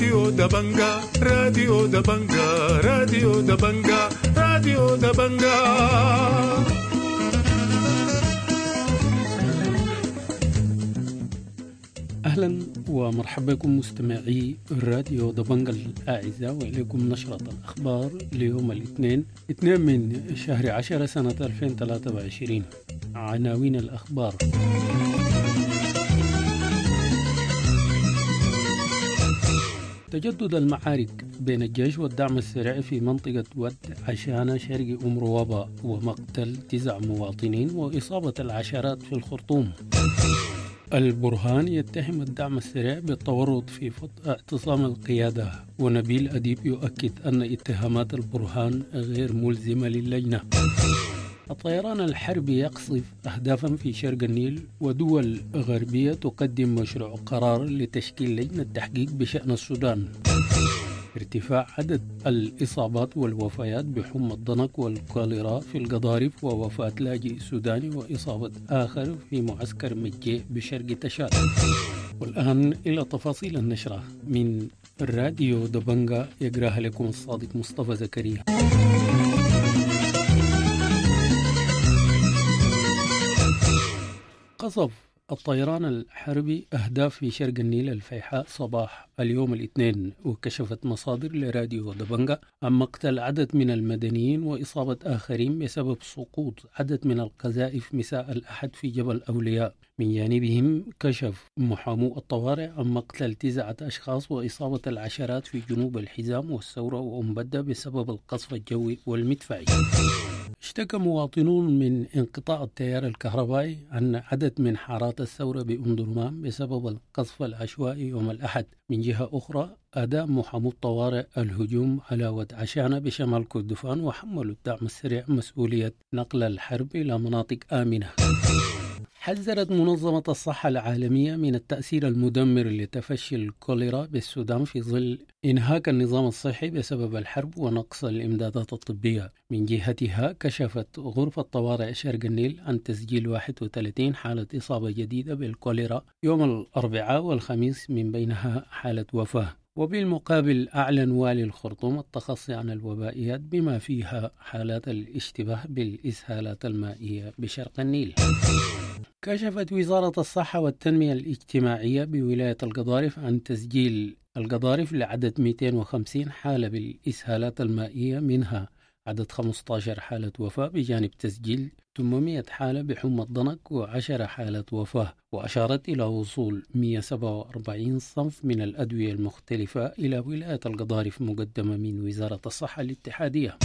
راديو دبنجا، راديو دبنجا، راديو دبنجا، راديو دبنجا. أهلا ومرحبا بكم مستمعي راديو دبنجا الأعزاء، وإليكم نشرة الأخبار ليوم الاثنين 2 من شهر 10 سنة 2023. عناوين الأخبار: تجدد المعارك بين الجيش والدعم السريع في منطقة ود عشانة شرق أم روابة، ومقتل 9 مواطنين وإصابة العشرات في الخرطوم. البرهان يتهم الدعم السريع بالتورط في اعتصام القيادة، ونبيل أديب يؤكد أن اتهامات البرهان غير ملزمة للجنة. الطيران الحربي يقصف أهدافا في شرق النيل، ودول غربية تقدم مشروع قرار لتشكيل لجنة تحقيق بشأن السودان. ارتفاع عدد الإصابات والوفيات بحمى الضنك والكوليرا في القضارف، ووفاة لاجئ سوداني وإصابة آخر في معسكر مجي بشرق تشاد. والآن إلى تفاصيل النشرة من راديو دبنجا، يقراها لكم الصادق مصطفى زكريا. قصف الطيران الحربي أهداف في شرق النيل الفيحاء صباح اليوم الاثنين، وكشفت مصادر لراديو دبنجا عن مقتل عدد من المدنيين وإصابة آخرين بسبب سقوط عدد من القذائف مساء الأحد في جبل أولياء. من جانبهم كشف محامو الطوارئ عن مقتل 9 أشخاص وإصابة العشرات في جنوب الحزام والثورة وأمبدة بسبب القصف الجوي والمدفعي. اشتكى مواطنون من انقطاع التيار الكهربائي عن عدد من حارات الثورة بأم درمان بسبب القصف العشوائي يوم الأحد. من جهة أخرى أداء محامو الطوارئ الهجوم على ود عشانة بشمال كردفان، وحملوا الدعم السريع مسؤولية نقل الحرب إلى مناطق آمنة. حذرت منظمة الصحة العالمية من التأثير المدمر لتفشي الكوليرا بالسودان في ظل إنهاك النظام الصحي بسبب الحرب ونقص الإمدادات الطبية. من جهتها كشفت غرفة طوارئ شرق النيل عن تسجيل 31 حالة إصابة جديدة بالكوليرا يوم الأربعاء والخميس، من بينها حالة وفاة. وبالمقابل أعلن والي الخرطوم التخصي عن الوبائيات بما فيها حالات الاشتباه بالإسهالات المائية بشرق النيل. كشفت وزارة الصحة والتنمية الاجتماعية بولاية القضارف عن تسجيل القضارف لعدد 250 حالة بالإسهالات المائية، منها عدد 15 حالة وفاة، بجانب تسجيل 800 حالة بحمى الضنك و10 حالة وفاة. وأشارت إلى وصول 147 صنف من الأدوية المختلفة إلى ولاية القضارف مقدمة من وزارة الصحة الاتحادية.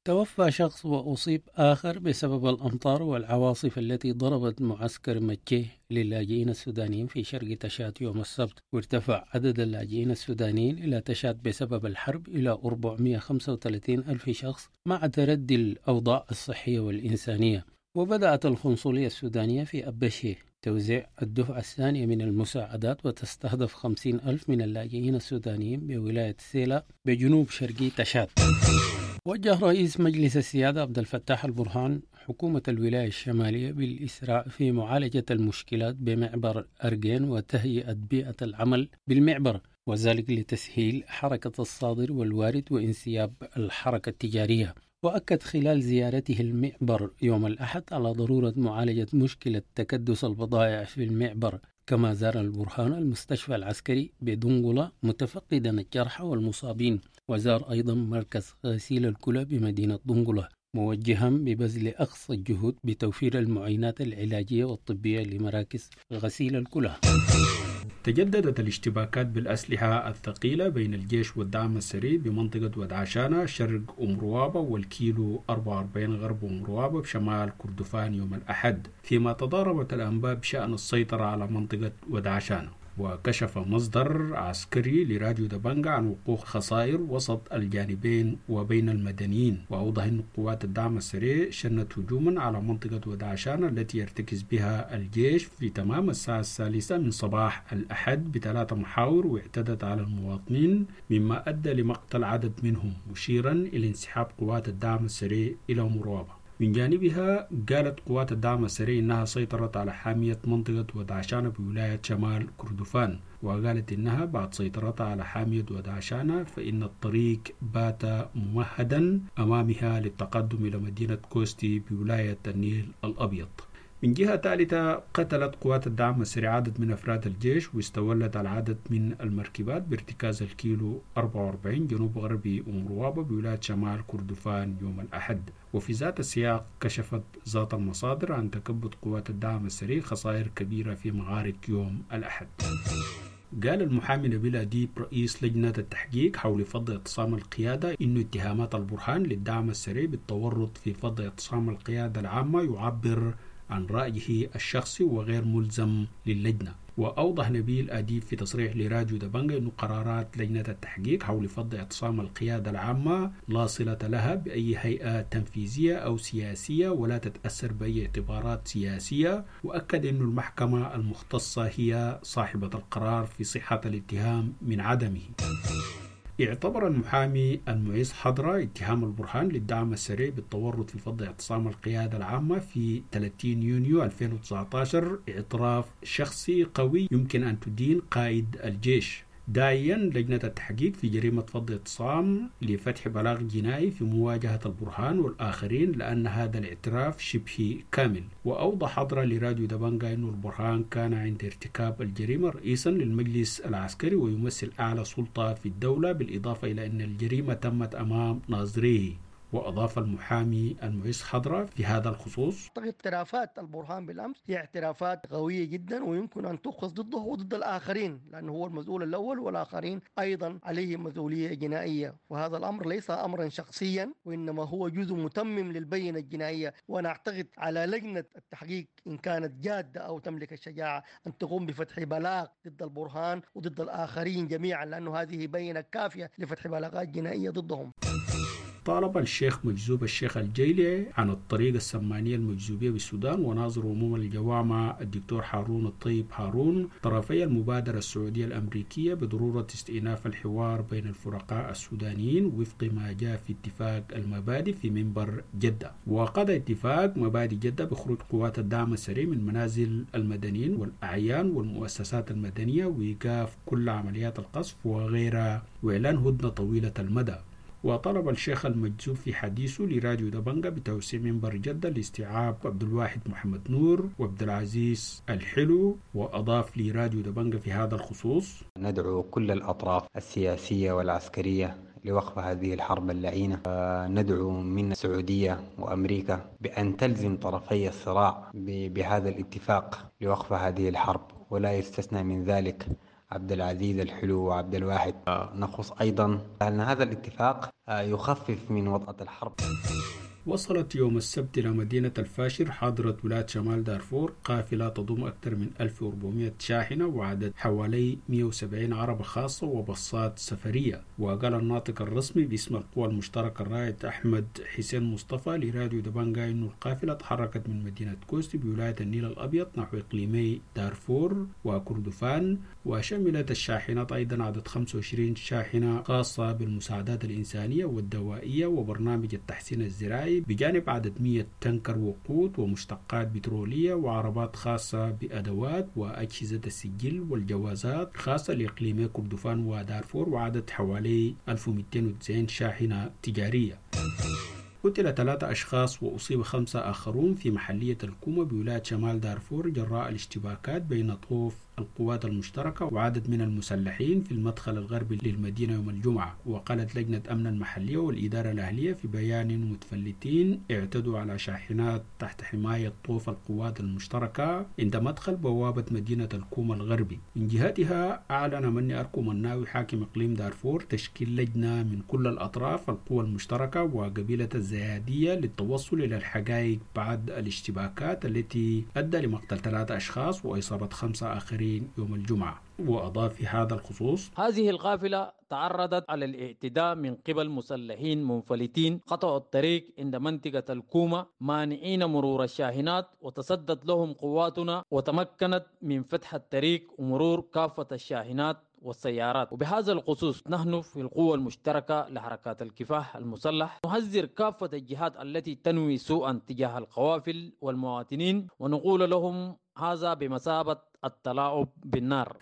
توفى شخص وأصيب آخر بسبب الأمطار والعواصف التي ضربت معسكر مكة للاجئين السودانيين في شرق تشاد يوم السبت، وارتفع عدد اللاجئين السودانيين إلى تشاد بسبب الحرب إلى 435 ألف شخص مع تردي الأوضاع الصحية والإنسانية. وبدأت القنصلية السودانية في أبشي توزيع الدفعة الثانية من المساعدات، وتستهدف 50 ألف من اللاجئين السودانيين بولاية سيلا بجنوب شرقي تشاد. وجه رئيس مجلس السيادة عبد الفتاح البرهان حكومة الولاية الشمالية بالإسراع في معالجة المشكلات بمعبر أرجين وتهيئة بيئة العمل بالمعبر، وذلك لتسهيل حركة الصادر والوارد وانسياب الحركة التجارية. وأكد خلال زيارته المعبر يوم الأحد على ضرورة معالجة مشكلة تكدس البضائع في المعبر. كما زار البرهان المستشفى العسكري بدنقلة متفقدا الجرحى والمصابين، وزار أيضا مركز غسيل الكلى بمدينة دنقلة، موجها ببذل أقصى الجهود بتوفير المعينات العلاجية والطبية لمراكز غسيل الكلى. تجددت الاشتباكات بالأسلحة الثقيلة بين الجيش والدعم السريع بمنطقة ود عشانة شرق أم روابة والكيلو 44 غرب أم روابة بشمال كردفان يوم الأحد، فيما تضاربت الأنباء بشأن السيطرة على منطقة ود عشانة. وكشف مصدر عسكري لراديو دبنجا عن وقوع خسائر وسط الجانبين وبين المدنيين، وأوضح أن قوات الدعم السريع شنت هجوما على منطقة ودعشان التي يرتكز بها الجيش في تمام الساعة 3 من صباح الأحد بثلاث محاور، واعتدت على المواطنين مما أدى لمقتل عدد منهم، مشيرا إلى انسحاب قوات الدعم السريع إلى مروابة. من جانبها قالت قوات الدعم السريع إنها سيطرت على حامية منطقة ودعشانة بولاية شمال كردفان، وقالت إنها بعد سيطرتها على حامية ودعشانة فإن الطريق بات ممهدا أمامها للتقدم إلى مدينة كوستي بولاية النيل الأبيض. من جهة ثالثة، قتلت قوات الدعم السريع عدد من أفراد الجيش واستولت على عدد من المركبات بارتكاز الكيلو 44 جنوب غربي أم روابة بولاية شمال كردفان يوم الأحد. وفي ذات السياق كشفت ذات المصادر عن تكبد قوات الدعم السريع خسائر كبيرة في معارك يوم الأحد. قال المحامي نبيل أديب رئيس لجنة التحقيق حول فض اعتصام القيادة إن اتهامات البرهان للدعم السريع بالتورط في فض اعتصام القيادة العامة يعبر عن رأيه الشخصي وغير ملزم للجنة. وأوضح نبيل أديب في تصريح لراديو دبنجة أن قرارات لجنة التحقيق حول فض اعتصام القيادة العامة لا صلة لها بأي هيئة تنفيذية أو سياسية ولا تتأثر بأي اعتبارات سياسية، وأكد أن المحكمة المختصة هي صاحبة القرار في صحة الاتهام من عدمه. اعتبر المحامي المعز حضرة اتهام البرهان للدعم السريع بالتورط في فض اعتصام القيادة العامة في 30 يونيو 2019 اعتراف شخصي قوي يمكن أن تدين قائد الجيش، داعيا لجنة التحقيق في جريمة فض اعتصام لفتح بلاغ جنائي في مواجهة البرهان والآخرين لأن هذا الاعتراف شبه كامل. وأوضح حضرة لراديو دبنجا أن البرهان كان عند ارتكاب الجريمة رئيسا للمجلس العسكري ويمثل أعلى سلطة في الدولة، بالإضافة إلى أن الجريمة تمت أمام ناظريه. وأضاف المحامي المعز حضرة في هذا الخصوص: اعترافات البرهان بالأمس هي اعترافات قوية جدا ويمكن أن تؤخذ ضده وضد الآخرين، لأنه هو المسؤول الأول والآخرين أيضا عليهم مسؤولية جنائية، وهذا الأمر ليس أمرا شخصيا وإنما هو جزء متمم للبينة الجنائية. وأنا أعتقد على لجنة التحقيق إن كانت جادة أو تملك الشجاعة أن تقوم بفتح بلاغ ضد البرهان وضد الآخرين جميعا، لأنه هذه بينة كافية لفتح بلاغات جنائية ضدهم. طالب الشيخ مجذوب الشيخ الجيلي عن الطريقة السمانية المجذوبية بالسودان وناظر عموم الجوامع الدكتور هارون الطيب هارون طرفي المبادرة السعودية الأمريكية بضرورة استئناف الحوار بين الفرقاء السودانيين وفق ما جاء في اتفاق المبادئ في منبر جدة. وقد اتفاق مبادئ جدة بخروج قوات الدعم السريع من منازل المدنيين والأعيان والمؤسسات المدنية وإيقاف كل عمليات القصف وغيرها وإعلان هدنة طويلة المدى. وطلب الشيخ المجذوب في حديثه لراديو دبنجة بتوسيع منبر جدة لاستيعاب عبد الواحد محمد نور وعبد العزيز الحلو. وأضاف لراديو دبنجة في هذا الخصوص: ندعو كل الأطراف السياسية والعسكرية لوقف هذه الحرب اللعينة. ندعو من السعودية وأمريكا بأن تلزم طرفي الصراع بهذا الاتفاق لوقف هذه الحرب، ولا يستثنى من ذلك عبد العزيز الحلو وعبد الواحد. نخص أيضا أن هذا الاتفاق يخفف من وطأة الحرب. وصلت يوم السبت إلى مدينة الفاشر حاضرة ولاية شمال دارفور قافلة تضم أكثر من 1400 شاحنة وعدد حوالي 170 عربة خاصة وبصات سفرية. وقال الناطق الرسمي باسم القوى المشتركة الرائد أحمد حسين مصطفى لراديو دبنجا أن القافلة تحركت من مدينة كوستي بولاية النيل الأبيض نحو إقليمي دارفور وكردفان، وشملت الشاحنات أيضا عدد 25 شاحنة خاصة بالمساعدات الإنسانية والدوائية وبرنامج التحسين الزراعي، بجانب عدد 100 تنكر وقود ومشتقات بترولية وعربات خاصة بأدوات وأجهزة السجل والجوازات خاصة لإقليمي كردفان ودارفور، وعدد حوالي 1290 شاحنة تجارية. قتل 3 أشخاص وأصيب 5 آخرون في محلية الكومة بولاية شمال دارفور جراء الاشتباكات بين طوف القوات المشتركة وعدد من المسلحين في المدخل الغربي للمدينة يوم الجمعة. وقالت لجنة أمن المحلية والإدارة الأهلية في بيان متفلتين اعتدوا على شاحنات تحت حماية طوف القوات المشتركة عند مدخل بوابة مدينة الكومة الغربي. من جهتها أعلن مني أركو مناوي حاكم إقليم دارفور تشكيل لجنة من كل الأطراف القوى المشتركة وقبيلة الزيادية للتوصل إلى الحقائق بعد الاشتباكات التي أدى لمقتل 3 أشخاص وإصابة 5 آخرين يوم الجمعة. وأضاف في هذا الخصوص: هذه القافلة تعرضت على الاعتداء من قبل مسلحين منفلتين قطعوا الطريق عند منطقة الكومة مانعين مرور الشاحنات، وتصدت لهم قواتنا وتمكنت من فتح الطريق ومرور كافة الشاحنات والسيارات. وبهذا الخصوص نحن في القوة المشتركة لحركات الكفاح المسلح نحذر كافة الجهات التي تنوي سوءا تجاه القوافل والمواطنين، ونقول لهم هذا بمثابة التلاعب بالنار.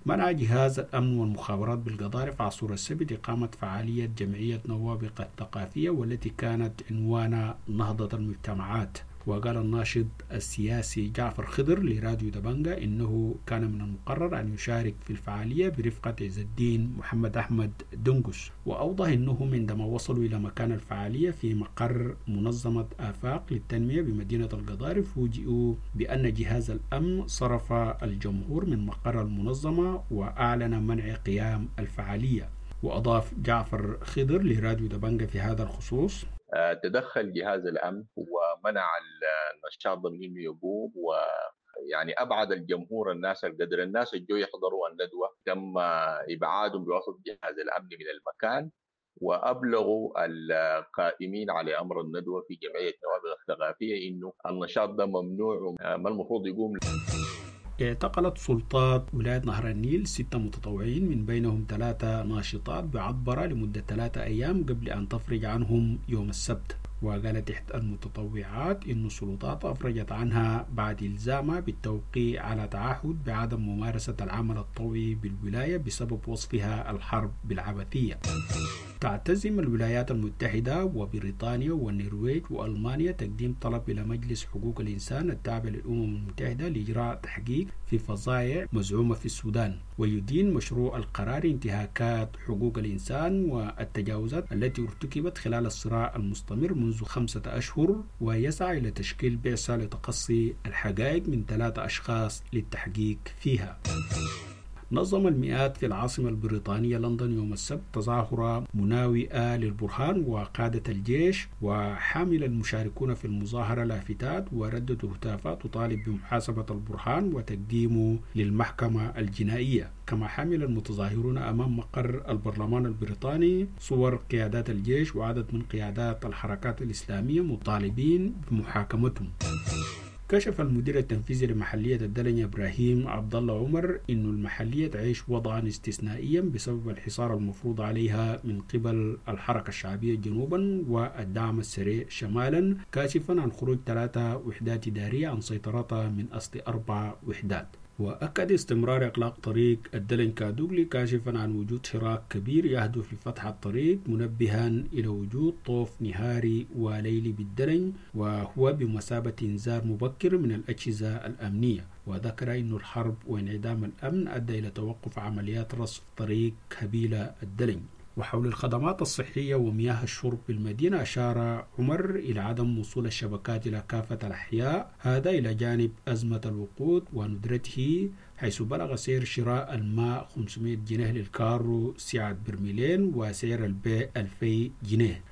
منع جهاز الأمن والمخابرات بالقضارف عصور السبت إقامة فعالية جمعية نوابق الثقافية والتي كانت عنوان نهضة المجتمعات. وقال الناشط السياسي جعفر خضر لراديو دبنجا إنه كان من المقرر أن يشارك في الفعالية برفقة عز الدين محمد أحمد دنقس. وأوضح أنهم عندما وصلوا إلى مكان الفعالية في مقر منظمة آفاق للتنمية بمدينة القضارف فوجئوا بأن جهاز الأمن صرف الجمهور من مقر المنظمة وأعلن منع قيام الفعالية. وأضاف جعفر خضر لراديو دبنجا في هذا الخصوص: تدخل جهاز الأمن ومنع النشاط من إنه يقوم، ويعني أبعد الجمهور الناس القدر الناس اللي جو يحضروا الندوة تم إبعادهم بواسطة جهاز الأمن من المكان، وأبلغوا القائمين على أمر الندوة في جمعية نوابغ الثقافية إنه النشاط ده ممنوع وما المفروض يقوم. اعتقلت سلطات ولاية نهر النيل 6 متطوعين من بينهم 3 ناشطات بعطبرة لمدة 3 أيام قبل أن تفرج عنهم يوم السبت. وقالت إحدى المتطوعات إن السلطات أفرجت عنها بعد إلزامها بالتوقيع على تعهد بعدم ممارسة العمل الطوعي بالولاية بسبب وصفها الحرب بالعبثية. تعتزم الولايات المتحدة وبريطانيا والنرويج وألمانيا تقديم طلب إلى مجلس حقوق الإنسان التابع للأمم المتحدة لإجراء تحقيق في فظائع مزعومة في السودان. ويدين مشروع القرار انتهاكات حقوق الإنسان والتجاوزات التي ارتكبت خلال الصراع المستمر منذ 5 أشهر، ويسعى إلى تشكيل بعثة لتقصي الحقائق من 3 أشخاص للتحقيق فيها. نظم المئات في العاصمة البريطانية لندن يوم السبت تظاهرة مناوئة للبرهان وقادة الجيش، وحامل المشاركون في المظاهرة لافتات ورددوا هتافات تطالب بمحاسبة البرهان وتقديمه للمحكمة الجنائية. كما حمل المتظاهرون أمام مقر البرلمان البريطاني صور قيادات الجيش وعدد من قيادات الحركات الإسلامية مطالبين بمحاكمتهم. كشف المدير التنفيذي لمحلية الدلنج إبراهيم عبد الله عمر إن المحلية تعيش وضعا استثنائيا بسبب الحصار المفروض عليها من قبل الحركة الشعبية جنوبا والدعم السريع شمالا، كاشفا عن خروج 3 وحدات إدارية عن سيطرتها من أصل 4 وحدات. وأكد استمرار إغلاق طريق الدلن كادوغلي، كاشفا عن وجود حراك كبير يهدف لفتح الطريق، منبها إلى وجود طوف نهاري وليلي بالدلن وهو بمثابة إنذار مبكر من الأجهزة الأمنية. وذكر أن الحرب وانعدام الأمن أدى إلى توقف عمليات رصف طريق هبيلة الدلن. وحول الخدمات الصحية ومياه الشرب بالمدينة أشار عمر إلى عدم وصول الشبكات إلى كافة الأحياء، هذا إلى جانب أزمة الوقود وندرته، حيث بلغ سعر شراء الماء 500 جنيه للكارو سعة برميلين وسعر البيع 2000 جنيه.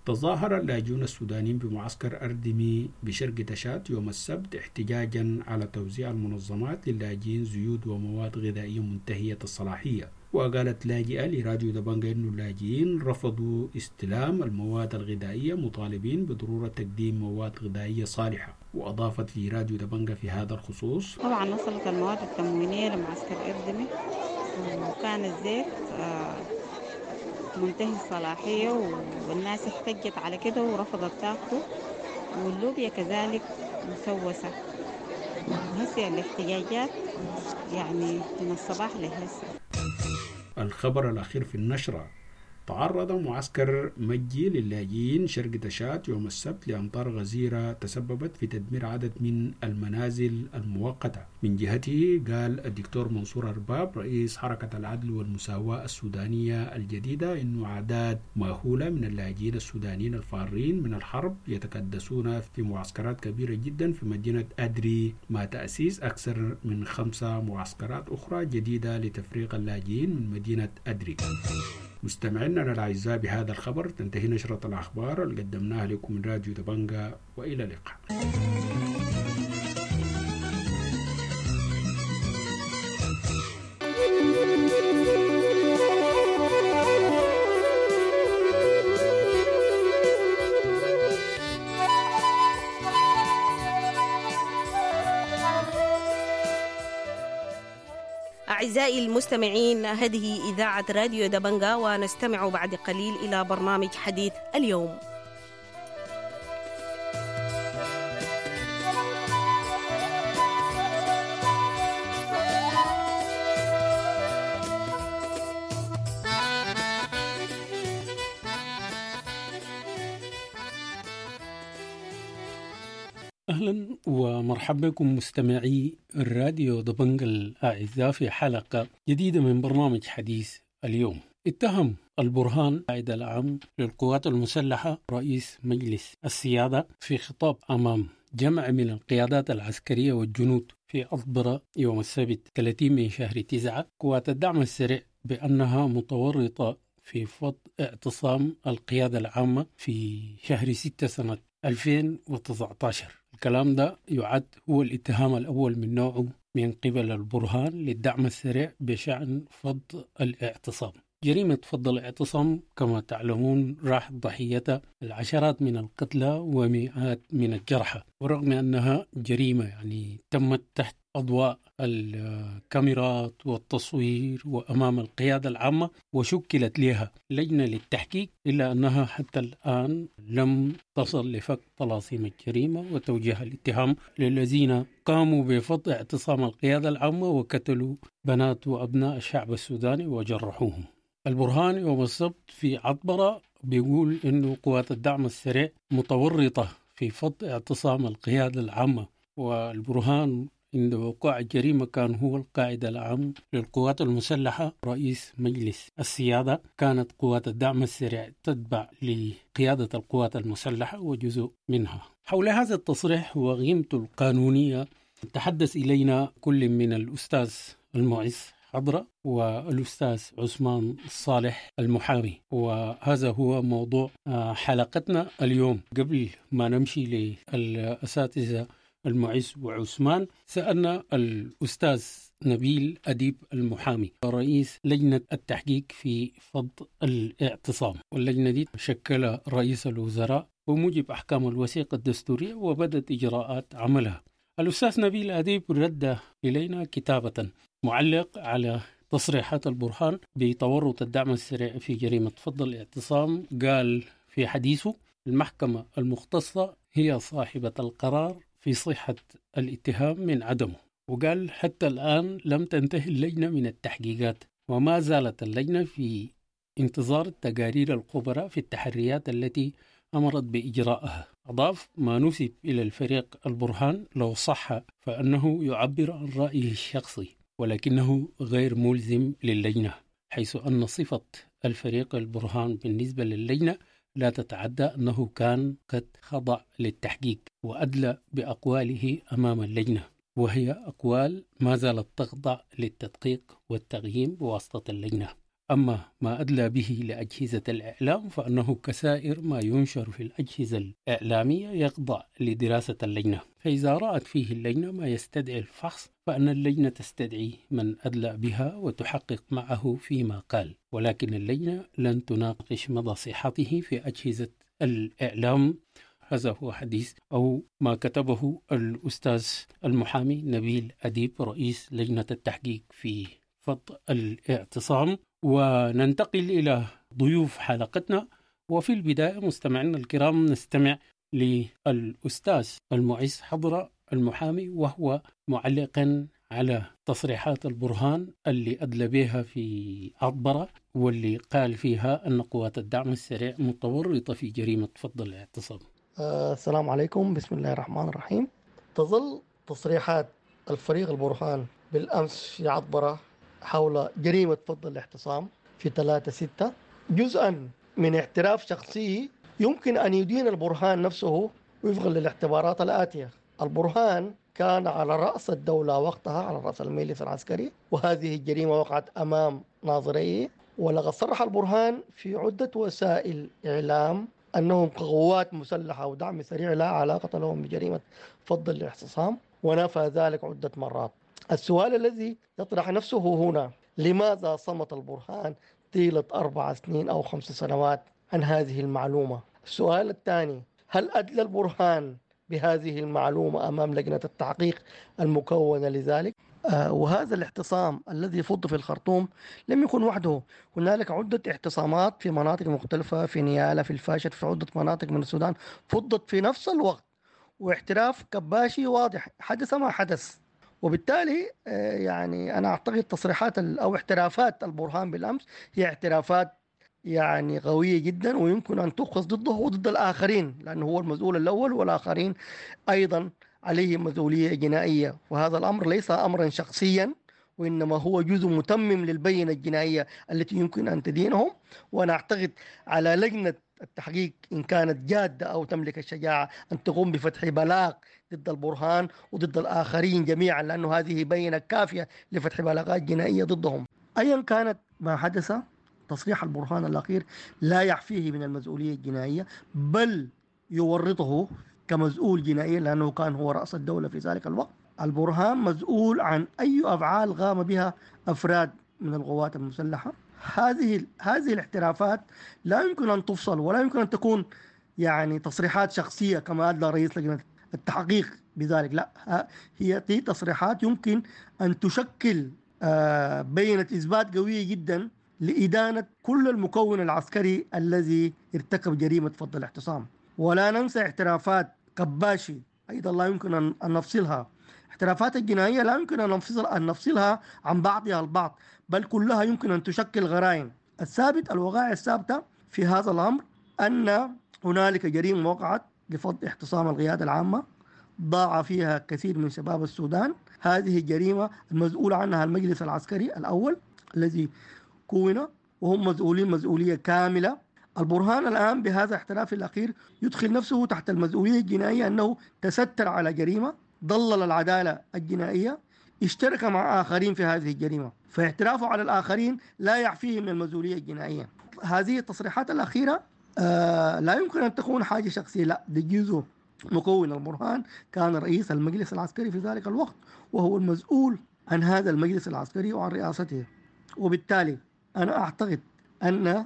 تظاهر اللاجئون السودانيين بمعسكر أردمي بشرق تشاد يوم السبت احتجاجا على توزيع المنظمات للاجئين زيوت ومواد غذائية منتهية الصلاحية. وقالت لاجئة لراديو دبنجا أن اللاجئين رفضوا استلام المواد الغذائية مطالبين بضرورة تقديم مواد غذائية صالحة. وأضافت لراديو دبنجا في هذا الخصوص: طبعا وصلت المواد التموينية لمعسكر أردمي، وكان الزيت منتهي الصلاحية والناس احتجت على كده ورفضت تاخده، واللوبيا كذلك مسوسة. وهسه الاحتجاجات يعني من الصباح لهسه. الخبر الأخير في النشرة: تعرض معسكر مجي للاجئين شرق تشاد يوم السبت لأمطار غزيرة تسببت في تدمير عدد من المنازل المؤقتة. من جهته قال الدكتور منصور أرباب رئيس حركة العدل والمساواة السودانية الجديدة إنه أعداد مهولة من اللاجئين السودانيين الفارين من الحرب يتكدسون في معسكرات كبيرة جدا في مدينة أدري، مع تأسيس أكثر من 5 معسكرات أخرى جديدة لتفريغ اللاجئين من مدينة أدري. مستمعينا الأعزاء، بهذا الخبر تنتهي نشرة الأخبار اللي قدمناها لكم من راديو دبنجا، وإلى اللقاء. أعزائي المستمعين، هذه إذاعة راديو دبنجا، ونستمع بعد قليل إلى برنامج حديث اليوم. أهلا ومرحبا بكم مستمعي الراديو دبنجا الأعزاء في حلقة جديدة من برنامج حديث اليوم. اتهم البرهان القائد العام للقوات المسلحة رئيس مجلس السيادة في خطاب أمام جمع من القيادات العسكرية والجنود في عطبرة يوم السبت 30 من شهر 9 قوات الدعم السريع بأنها متورطة في فض اعتصام القيادة العامة في شهر 6 سنة 2019. الكلام ده يعد هو الاتهام الأول من نوعه من قبل البرهان للدعم السريع بشأن فض الاعتصام. جريمة فض الاعتصام كما تعلمون راح ضحيتها العشرات من القتلى ومئات من الجرحى، ورغم أنها جريمة يعني تمت تحت أضواء الكاميرات والتصوير وأمام القيادة العامة وشكلت لها لجنة للتحقيق، إلا أنها حتى الآن لم تصل لفك طلاسيم الجريمة وتوجيه الاتهام للذين قاموا بفض اعتصام القيادة العامة وقتلوا بنات وأبناء الشعب السوداني وجرحوهم. البرهان يوم السبت في عطبرة بيقول إنه قوات الدعم السريع متورطة في فض اعتصام القيادة العامة، والبرهان عند وقوع الجريمة كان هو القائد العام للقوات المسلحة رئيس مجلس السيادة. كانت قوات الدعم السريع تتبع لقيادة القوات المسلحة وجزء منها. حول هذا التصريح وقيمته القانونية تحدث إلينا كل من الأستاذ المعز حضرة والأستاذ عثمان الصالح المحامي، وهذا هو موضوع حلقتنا اليوم. قبل ما نمشي للأساتذة المعز وعثمان، سألنا الأستاذ نبيل أديب المحامي رئيس لجنة التحقيق في فض الاعتصام، واللجنة دي شكلها رئيس الوزراء بموجب أحكام الوثيقة الدستورية وبدت إجراءات عملها. الأستاذ نبيل أديب رد إلينا كتابة معلق على تصريحات البرهان بتورط الدعم السريع في جريمة فض الاعتصام. قال في حديثه: المحكمة المختصة هي صاحبة القرار في صحة الاتهام من عدمه. وقال حتى الآن لم تنتهي اللجنة من التحقيقات، وما زالت اللجنة في انتظار تقارير الخبراء في التحريات التي أمرت بإجرائها. أضاف: ما نسب إلى الفريق البرهان لو صح فأنه يعبر عن رأيه الشخصي، ولكنه غير ملزم للجنة، حيث أن صفة الفريق البرهان بالنسبة للجنة لا تتعدى أنه كان قد خضع للتحقيق وأدلى بأقواله أمام اللجنة، وهي أقوال ما زالت تخضع للتدقيق والتقييم بواسطة اللجنة. أما ما أدلى به لأجهزة الإعلام فأنه كسائر ما ينشر في الأجهزة الإعلامية يخضع لدراسة اللجنة، فإذا رأت فيه اللجنة ما يستدعي الفحص فأن اللجنة تستدعي من أدلى بها وتحقق معه فيما قال، ولكن اللجنة لن تناقش مدى صحته في أجهزة الإعلام. هذا هو حديث أو ما كتبه الأستاذ المحامي نبيل أديب رئيس لجنة التحقيق في فض الاعتصام. وننتقل إلى ضيوف حلقتنا، وفي البداية مستمعينا الكرام نستمع للأستاذ المعز حضرة المحامي وهو معلقا على تصريحات البرهان اللي أدلى بها في عطبرة واللي قال فيها أن قوات الدعم السريع متورطة في جريمة فض الاعتصام. السلام عليكم، بسم الله الرحمن الرحيم. تظل تصريحات الفريق البرهان بالأمس في عطبرة حول جريمة فض الاعتصام في 3/6 جزءا من اعتراف شخصي يمكن أن يدين البرهان نفسه وفقا للاعتبارات الآتية. البرهان كان على رأس الدولة وقتها، على رأس المجلس العسكري، وهذه الجريمة وقعت أمام ناظريه. ولقد صرح البرهان في عدة وسائل إعلام أنهم قوات مسلحة ودعم سريع لا علاقة لهم بجريمة فض الاعتصام، ونفى ذلك عدة مرات. السؤال الذي يطرح نفسه هنا: لماذا صمت البرهان طيلة 4 سنين أو 5 سنوات عن هذه المعلومة؟ السؤال الثاني: هل أدلى البرهان بهذه المعلومة أمام لجنة التحقيق المكونة لذلك؟ وهذا الاعتصام الذي فض في الخرطوم لم يكن وحده، هنالك عدة اعتصامات في مناطق مختلفة، في نيالا، في الفاشر، في عدة مناطق من السودان فضت في نفس الوقت، واعتراف كباشي واضح، حدث ما حدث. وبالتالي يعني أنا أعتقد تصريحات أو اعترافات البرهان بالأمس هي اعترافات يعني قوية جدا، ويمكن أن تؤخذ ضده وضد الآخرين، لأنه هو المسؤول الأول والآخرين أيضا عليهم مسؤولية جنائية. وهذا الأمر ليس أمرا شخصيا، وإنما هو جزء متمم للبينة الجنائية التي يمكن أن تدينهم. وأنا أعتقد على لجنة التحقيق إن كانت جادة أو تملك الشجاعة أن تقوم بفتح بلاغ ضد البرهان وضد الآخرين جميعا، لأنه هذه بينة كافية لفتح بلاغات جنائية ضدهم. أيا كانت ما حدث، تصريح البرهان الأخير لا يعفيه من المسؤولية الجنائية، بل يورطه كمسؤول جنائي، لأنه كان هو رأس الدولة في ذلك الوقت. البرهان مسؤول عن أي أفعال قام بها أفراد من القوات المسلحة. هذه الاعترافات لا يمكن أن تفصل، ولا يمكن أن تكون يعني تصريحات شخصية كما أدلى رئيس لجنة التحقيق بذلك. لا، هي تصريحات يمكن أن تشكل بينة إثبات قوية جدا لإدانة كل المكون العسكري الذي ارتكب جريمة فض الاعتصام. ولا ننسى اعترافات كباشي أيضا، لا يمكن أن نفصلها. اعترافات الجنائية لا يمكن أن نفصلها عن بعضها البعض، بل كلها يمكن أن تشكل غرائم. الثابت، الوقائع الثابتة في هذا الأمر، أن هنالك جريمة وقعت لفض اعتصام القيادة العامة ضاع فيها كثير من شباب السودان. هذه الجريمة المسؤول عنها المجلس العسكري الأول الذي كون، وهم مسؤولين مسؤولية كاملة. البرهان الآن بهذا الاعتراف الأخير يدخل نفسه تحت المسؤولية الجنائية، أنه تستر على جريمة، ضلل العدالة الجنائية، اشترك مع آخرين في هذه الجريمة، فاعترافه على الآخرين لا يعفيه من المسؤولية الجنائية. هذه التصريحات الأخيرة لا يمكن أن تكون حاجة شخصية، لا، دي جزء مكون. البرهان كان رئيس المجلس العسكري في ذلك الوقت، وهو المسؤول عن هذا المجلس العسكري وعن رئاسته. وبالتالي أنا أعتقد أن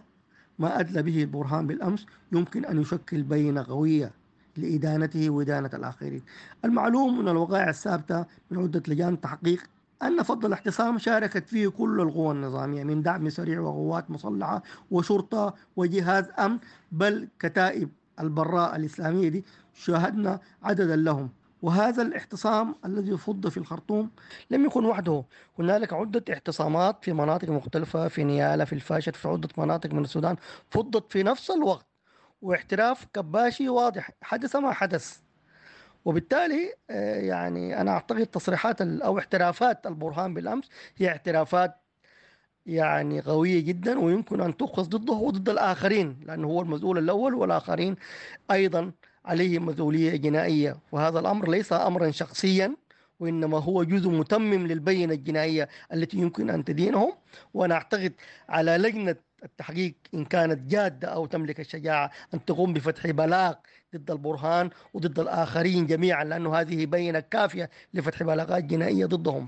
ما أدلى به البرهان بالأمس يمكن أن يشكل بينة قوية لإدانته وإدانة الآخرين. المعلوم من الوقائع الثابتة من عدة لجان تحقيق أن فض الاعتصام شاركت فيه كل القوى النظامية من دعم سريع وقوات مسلحة وشرطة وجهاز أمن، بل كتائب البراء الإسلامية دي شاهدنا عددا لهم. وهذا الاعتصام الذي فض في الخرطوم لم يكن وحده، هنالك عدة اعتصامات في مناطق مختلفة، في نيالا، في الفاشر، في عدة مناطق من السودان فضت في نفس الوقت، واعتراف كباشي واضح، حدث ما حدث. وبالتالي يعني أنا أعتقد تصريحات أو اعترافات البرهان بالأمس هي اعترافات يعني قوية جدا، ويمكن أن تؤخذ ضده وضد الآخرين، لأنه هو المسؤول الأول والآخرين أيضا عليهم مسؤولية جنائية. وهذا الأمر ليس أمرا شخصيا، وإنما هو جزء متمم للبينة الجنائية التي يمكن أن تدينهم. وأنا أعتقد على لجنة التحقيق إن كانت جادة أو تملك الشجاعة أن تقوم بفتح بلاغ ضد البرهان وضد الآخرين جميعا، لأنه هذه بينة كافية لفتح بلاغات جنائية ضدهم.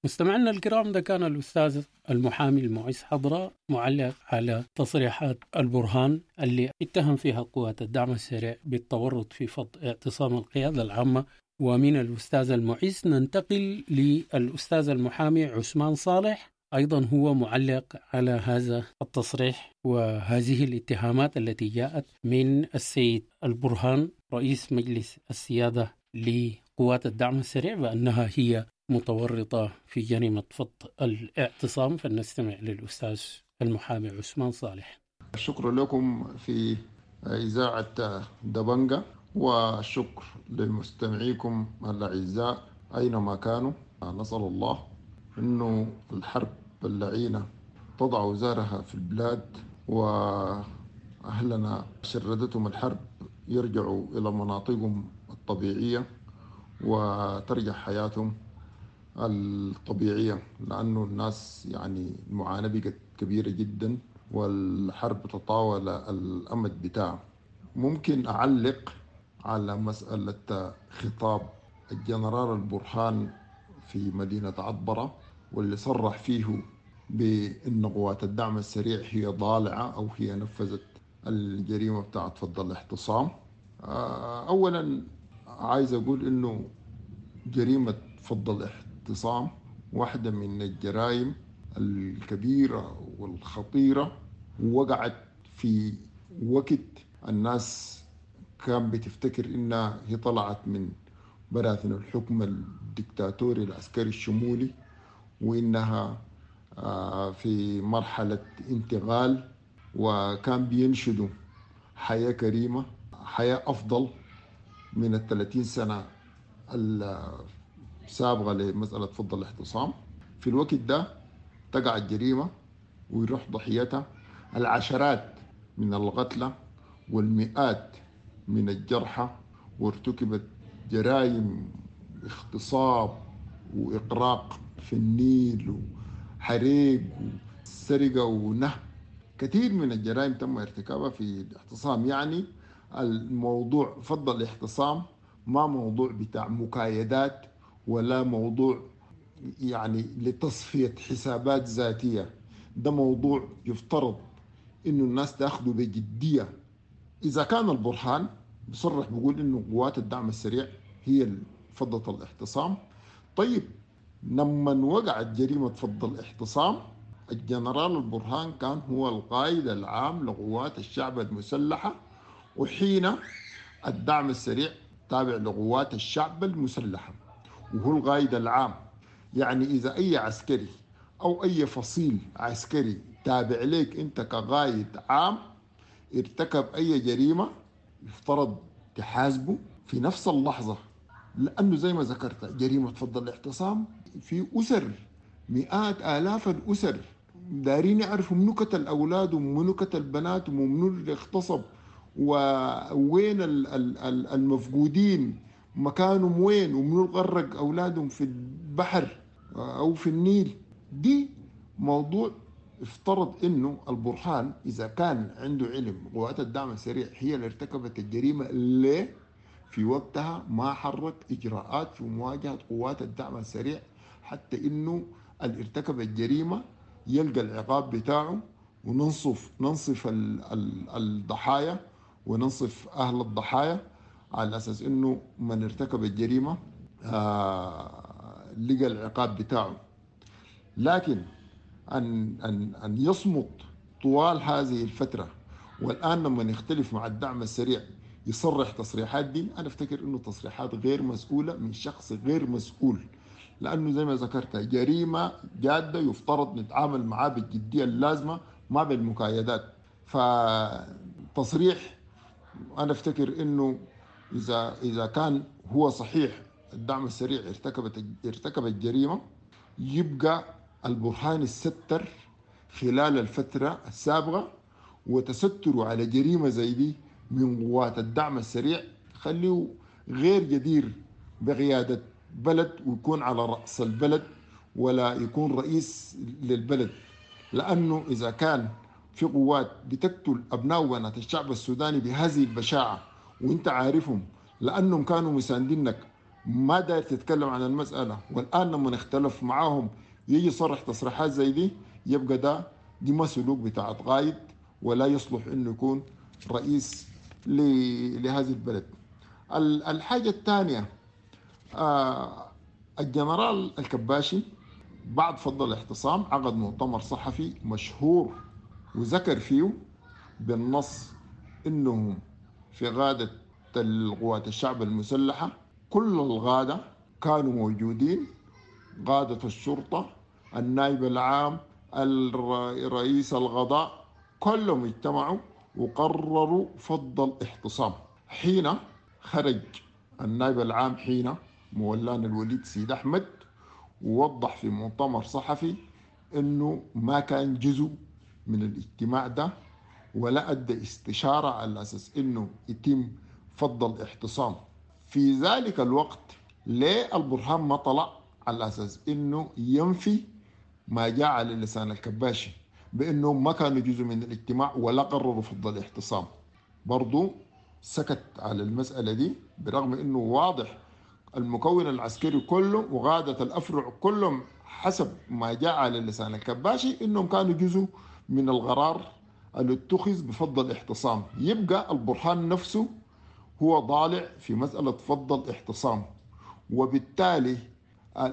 مستمعينا الكرام، ده كان الأستاذ المحامي المعز حضرة معلق على تصريحات البرهان اللي اتهم فيها قوات الدعم السريع بالتورط في فض اعتصام القيادة العامة. ومن الأستاذ المعز ننتقل للأستاذ المحامي عثمان صالح، أيضا هو معلق على هذا التصريح وهذه الاتهامات التي جاءت من السيد البرهان رئيس مجلس السيادة لقوات الدعم السريع بأنها هي متورطة في جريمة فض الاعتصام. فلنستمع للأستاذ المحامي عثمان صالح. الشكر لكم في إذاعة دبنجة، والشكر لمستمعيكم الأعزاء أينما كانوا. نسأل الله أنه الحرب اللعينة تضع وزارها في البلاد، وأهلنا شردتهم الحرب يرجعوا إلى مناطقهم الطبيعية وترجع حياتهم الطبيعية، لأنه الناس يعني المعاناة بقت كبيرة جدا والحرب تطاول الأمد بتاعه. ممكن أعلق على مسألة خطاب الجنرال البرهان في مدينة عطبرة، واللي صرح فيه بأن قوات الدعم السريع هي ضالعة أو هي نفذت الجريمة بتاعت فض الاعتصام. أولا عايز أقول إنه جريمة فض الاعتصام واحدة من الجرائم الكبيرة والخطيرة، ووقعت في وقت الناس كان بتفتكر إنها هي طلعت من براثن الحكم الدكتاتوري العسكري الشمولي، وإنها في مرحلة انتقال، وكان بينشدوا حياة كريمة، حياة أفضل من 30 سنة السابقة لمسألة فض الاعتصام. في الوقت ده تقع الجريمة ويروح ضحيتها العشرات من القتلى والمئات من الجرحى، وارتكبت جرائم اغتصاب وإغراق في النيل وحريق وسرقة ونهب. كثير من الجرائم تم ارتكابها في الاعتصام. يعني الموضوع فض الاعتصام ما موضوع بتاع مكايدات ولا موضوع يعني لتصفية حسابات ذاتية، ده موضوع يفترض إنه الناس تأخذه بجدية. إذا كان البرهان بصرح بيقول إنه قوات الدعم السريع هي فضت الاعتصام، طيب لما وقعت جريمة فض الاعتصام الجنرال البرهان كان هو القائد العام لقوات الشعب المسلحة، وحين الدعم السريع تابع لقوات الشعب المسلحة وهو القائد العام. يعني إذا أي عسكري أو أي فصيل عسكري تابع لك أنت كقائد عام ارتكب أي جريمة يفترض تحاسبه في نفس اللحظة، لأنه زي ما ذكرت جريمة فض الاعتصام في أسر، مئات آلاف الأسر دارين يعرفوا منو قتل أولادهم ومنو قتل بناتهم ومنو اللي اغتصب ووين المفقودين مكانهم وين ومنو غرق أولادهم في البحر أو في النيل. دي موضوع افترض انه البرهان اذا كان عنده علم قوات الدعم السريع هي اللي ارتكبت الجريمه، ليه في وقتها ما حرك اجراءات في مواجهه قوات الدعم السريع حتى انه اللي ارتكب الجريمه يلقى العقاب بتاعه وننصف ننصف الضحايا وننصف اهل الضحايا على اساس انه من ارتكب الجريمه لقى العقاب بتاعه. لكن أن أن أن يصمت طوال هذه الفترة، والآن لما يختلف مع الدعم السريع يصرح تصريحات دي، أنا أفتكر إنه تصريحات غير مسؤولة من شخص غير مسؤول، لأنه زي ما ذكرت جريمة جادة يفترض نتعامل معاه بالجدية اللازمة ما بالمكايدات. فتصريح أنا أفتكر إنه إذا كان هو صحيح الدعم السريع ارتكب الجريمة، يبقى البرهان الستر خلال الفترة السابقة، وتستروا على جريمة زي دي من قوات الدعم السريع خليه غير جدير بقيادة بلد ويكون على رأس البلد ولا يكون رئيس للبلد. لأنه إذا كان في قوات بتقتل أبناء وبنات الشعب السوداني بهذه البشاعة وانت عارفهم لأنهم كانوا مساندينك، ما داير تتكلم عن المسألة، والآن لما نختلف معاهم يجي صرح تصريحات زي دي، يبقى ده دي ما سلوك بتاع قائد ولا يصلح انه يكون رئيس لهذه البلد. الحاجة الثانية، الجنرال الكباشي بعد فض الاعتصام عقد مؤتمر صحفي مشهور وذكر فيه بالنص انهم في غادة القوات الشعب المسلحة كل الغادة كانوا موجودين، قادة الشرطة، النائب العام، رئيس القضاء، كلهم اجتمعوا وقرروا فض الاعتصام. حين خرج النائب العام حين مولانا الوليد سيد أحمد ووضح في مؤتمر صحفي انه ما كان جزء من الاجتماع ده ولا ادى استشارة على اساس انه يتم فض الاعتصام. في ذلك الوقت ليه البرهان ما طلع على اساس انه ينفي ما جاء على لسان الكباشي بانه ما كانوا جزء من الاجتماع ولا قرروا فض الاعتصام؟ برضو سكت على المسألة دي برغم انه واضح المكون العسكري كله وغادة الافرع كلهم حسب ما جاء على لسان الكباشي انهم كانوا جزء من القرار اللي اتخذ بفض الاعتصام. يبقى البرهان نفسه هو ضالع في مسألة فض الاعتصام، وبالتالي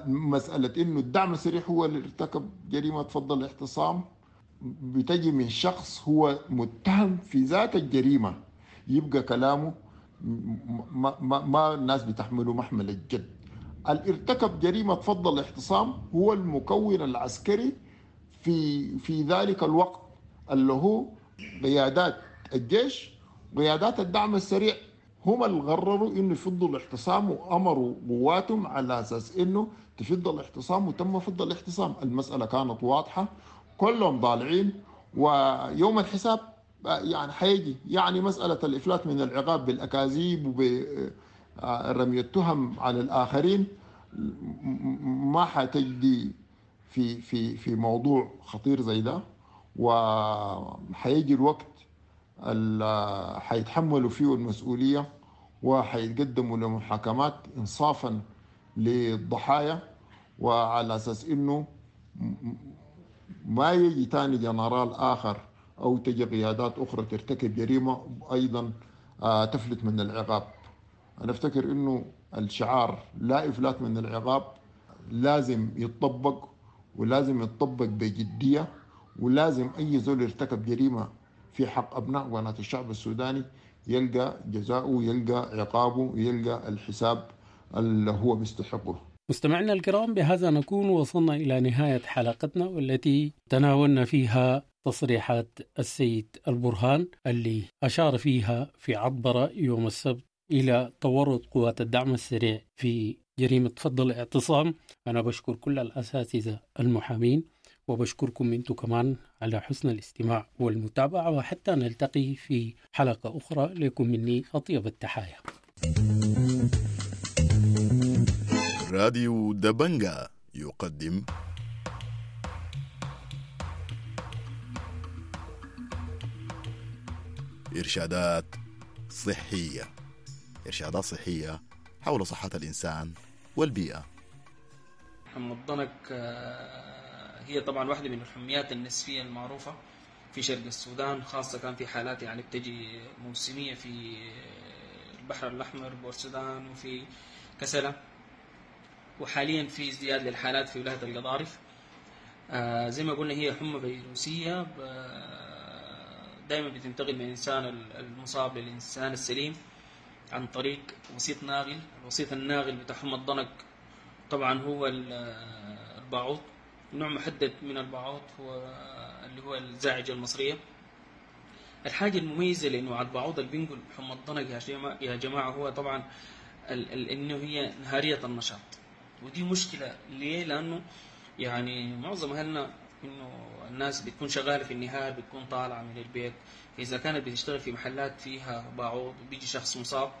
مسألة إنه الدعم السريع هو اللي ارتكب جريمة فض الاعتصام بتجي من شخص هو متهم في ذات الجريمة، يبقى كلامه ما الناس بتحمله محمل الجد. اللي ارتكب جريمة فض الاعتصام هو المكون العسكري في ذلك الوقت، اللي هو قيادات الجيش قيادات الدعم السريع، هم اللي قرروا انه يفضوا الاعتصام وامروا قواتهم على اساس انه تفض الاعتصام، وتم فض الاعتصام. المسألة كانت واضحة، كلهم ضالعين، ويوم الحساب يعني حيجي. يعني مسألة الإفلات من العقاب بالأكاذيب وبرمي التهم على الآخرين ما حتجدي في في في موضوع خطير زي ده، وحيجي الوقت اللي حيتحملوا فيه المسؤولية وحيتقدموا لمحاكمات إنصافا للضحايا، وعلى أساس إنه ما يجي تاني جنرال آخر أو تجي قيادات أخرى ترتكب جريمة أيضا تفلت من العقاب. أنا أفتكر إنه الشعار لا إفلات من العقاب لازم يتطبق، ولازم يتطبق بجدية، ولازم أي زول يرتكب جريمة في حق أبناء وبنات الشعب السوداني يلقى جزاؤه، يلقى عقابه، يلقى الحساب اللي هو بيستحقه. مستمعينا الكرام، بهذا نكون وصلنا إلى نهاية حلقتنا والتي تناولنا فيها تصريحات السيد البرهان اللي أشار فيها في عبرة يوم السبت إلى تورط قوات الدعم السريع في جريمة فض الاعتصام. أنا بشكر كل الأساتذة المحامين، وبشكركم أنتم كمان على حسن الاستماع والمتابعة، وحتى نلتقي في حلقة أخرى. لكم مني أطيب التحايا. راديو دبنجا يقدم إرشادات صحية، إرشادات صحية حول صحة الإنسان والبيئة. حمى الضنك هي طبعا واحدة من الحميات النسفية المعروفة في شرق السودان، خاصة كان في حالات يعني بتجي موسمية في البحر الأحمر بورسودان وفي كسلة، وحاليا في ازدياد للحالات في ولاية القضارف. زي ما قلنا هي حمى فيروسية دائما بتنتقل من الإنسان المصاب للإنسان السليم عن طريق وسيط ناغل. الوسيط الناغل بتاع حمى الضنك طبعا هو الباعوض، نوع محدد من الباعوض هو اللي هو الزاعجة المصرية. الحاجة المميزة لأنه على الباعوض اللي بينقل حمى الضنك يا جماعة هو طبعا إنه هي نهارية النشاط، ودي مشكلة. ليه؟ لأنه يعني معظم أهلنا إنه الناس بتكون شغالة في النهار، بتكون طالعة من البيت، فإذا كانت بتشتغل في محلات فيها باعوض وبيجي شخص مصاب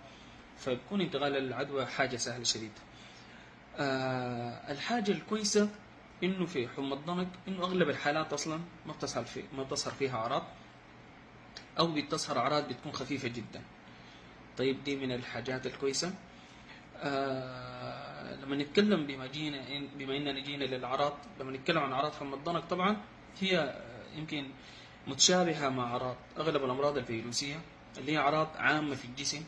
فبكون انتقال العدوى حاجة سهلة شديدة. الحاجة الكويسة إنه في حمى الضنك إنه أغلب الحالات أصلا ما بتظهر فيها أعراض، أو بتظهر أعراض بتكون خفيفة جدا. طيب دي من الحاجات الكويسة. لما نتكلم بما إننا جينا للأعراض، لما نتكلم عن أعراض حمى الضنك طبعا هي يمكن متشابهة مع أعراض أغلب الأمراض الفيروسية اللي هي أعراض عامة في الجسم،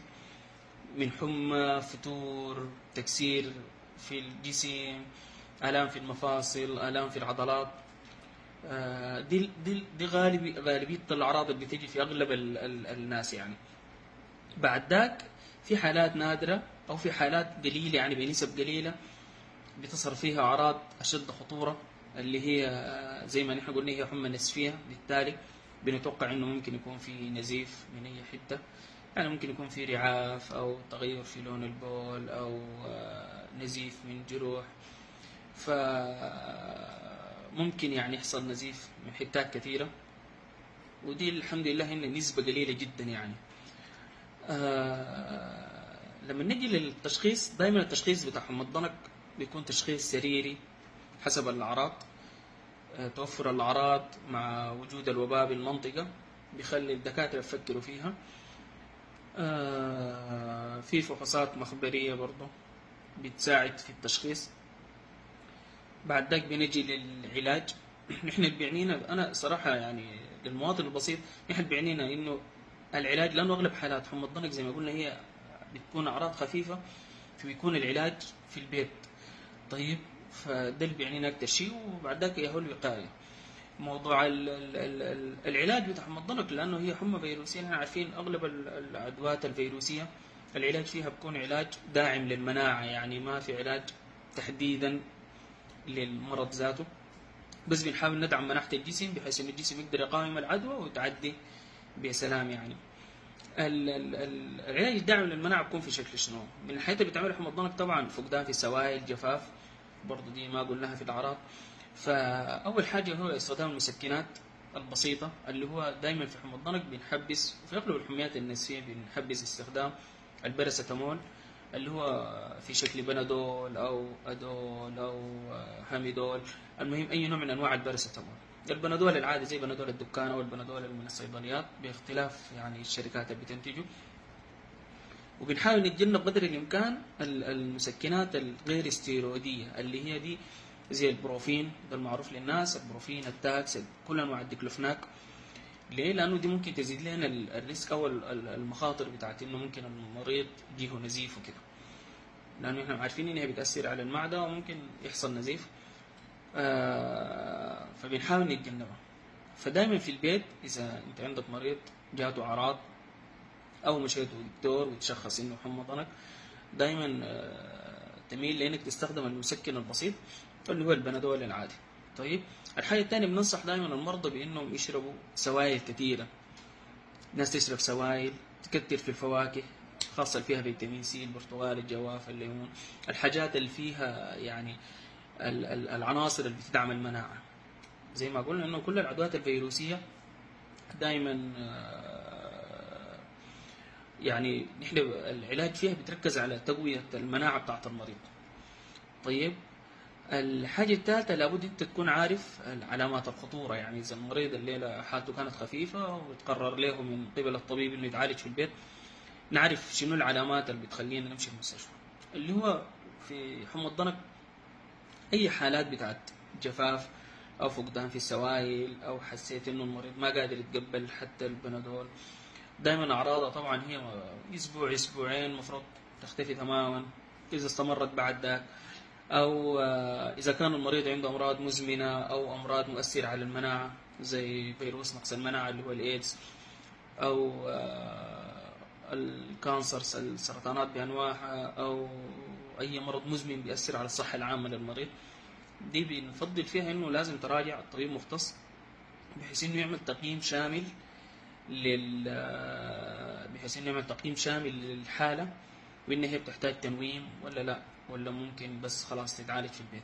من حمى، فتور، تكسير في الجسم، آلام في المفاصل، آلام في العضلات. دي دي دي غالبية الأعراض اللي بتيجي في أغلب الناس يعني. بعد ذاك في حالات نادرة أو في حالات قليلة يعني بنسب قليلة بتظهر فيها أعراض أشد خطورة اللي هي زي ما نحن قلنا هي حمى نسفية، بالتالي بنتوقع إنه ممكن يكون في نزيف من أي حتة، يعني ممكن يكون في رعاف أو تغير في لون البول أو نزيف من جروح، فممكن يعني يحصل نزيف من حتات كثيرة، ودي الحمد لله إن نسبة قليلة جدا يعني. لما نجي للتشخيص دائما التشخيص بتاع حمى الضنك بيكون تشخيص سريري حسب الأعراض. توفر الأعراض مع وجود الوباء بالمنطقة بيخلي الدكاترة يفكروا فيها. في فحوصات مخبرية برضو بتساعد في التشخيص. بعد ذاك بنجي للعلاج. نحن اللي بيعنينا أنا صراحة يعني للمواطن البسيط نحن بيعنينا إنه العلاج، لأنه أغلب حالات حمى الضنك زي ما قلنا هي بتكون أعراض خفيفة، فبيكون العلاج في البيت. طيب فده اللي بيعنينا اكتر شيء، وبعد ذاك ياهو الوقاية. موضوع ال ال ال العلاج بتاع حمى الضنك، لانه هي حمى فيروسيه، نحن عارفين اغلب العدوات الفيروسيه العلاج فيها بيكون علاج داعم للمناعه، يعني ما في علاج تحديدا للمرض ذاته، بس بنحاول ندعم مناعة الجسم بحيث ان الجسم يقدر يقاوم العدوى وتعدي بسلام. يعني العلاج الداعم للمناعه بيكون في شكل شنو؟ من الحاجات اللي بتعملها حمى الضنك طبعا فقدان في السوائل، جفاف، برضه دي ما قلناها في الاعراض. فاول حاجة هو استخدام المسكنات البسيطة، اللي هو دائما في حمى الضنك بنحبس، وفي اغلب الحميات النزفيه بنحبس استخدام الباراسيتامول اللي هو في شكل بنادول او ادول او هاميدول، المهم اي نوع من انواع الباراسيتامول. البنادول العادي زي بنادول الدكان او البنادول من الصيدليات، باختلاف يعني الشركات اللي بتنتجه. وبنحاول نتجنب قدر الامكان المسكنات الغير استيرويديه اللي هي دي زي البروفين، ده المعروف للناس، البروفين، التاكس، كل انواع الديكلوفناك. ليه؟ لانه دي ممكن تزيد لنا ال risk او المخاطر بتاعت انه ممكن المريض يجيه نزيف وكده، لانه احنا عارفين انها بتاثر على المعدة وممكن يحصل نزيف. فبنحاول نتجنبها. فدايما في البيت اذا انت عندك مريض جاته اعراض او مشيت لدكتور وتشخص انه حمى ضنك، دايما تميل لانك تستخدم المسكن البسيط اللي هو البنادول العادي. طيب الحاجة الثانية بننصح دائما المرضى بانهم يشربوا سوائل كثيرة. الناس تشرب سوائل، تكتر في الفواكه خاصة اللي فيها فيتامين سي، البرتقال، الجواف، الليمون، الحاجات اللي فيها يعني العناصر اللي بتدعم المناعة. زي ما قلنا انه كل العدوات الفيروسية دائما يعني نحن العلاج فيها بتركز على تقوية المناعة بتاعت المريض. طيب الحاجة الثالثة لابد أنت تكون عارف علامات الخطورة، يعني إذا المريض الليلة حالته كانت خفيفة وتقرر له من قبل الطبيب إنه يتعالج في البيت، نعرف شنو العلامات اللي بتخلينا نمشي المستشفى. اللي هو في حمى الضنك أي حالات بتاعت جفاف أو فقدان في السوائل أو حسيت إنه المريض ما قادر يتقبل حتى البنادول، دائما أعراضها طبعا هي أسبوع أسبوعين مفروض تختفي تماما إذا استمرت بعد ذاك، أو إذا كان المريض عنده أمراض مزمنة أو أمراض مؤثرة على المناعة زي فيروس نقص المناعة اللي هو الإيدز، أو ال cancers، السرطانات بأنواعها، أو أي مرض مزمن بيأثر على الصحة العامة للمريض، دي بنفضل فيها إنه لازم تراجع الطبيب مختص بحيث إنه يعمل تقييم شامل بحيث إنه يعمل تقييم شامل للحالة، وإن هي بتحتاج تنويم ولا لا، ولا ممكن بس خلاص تتعالج في البيت.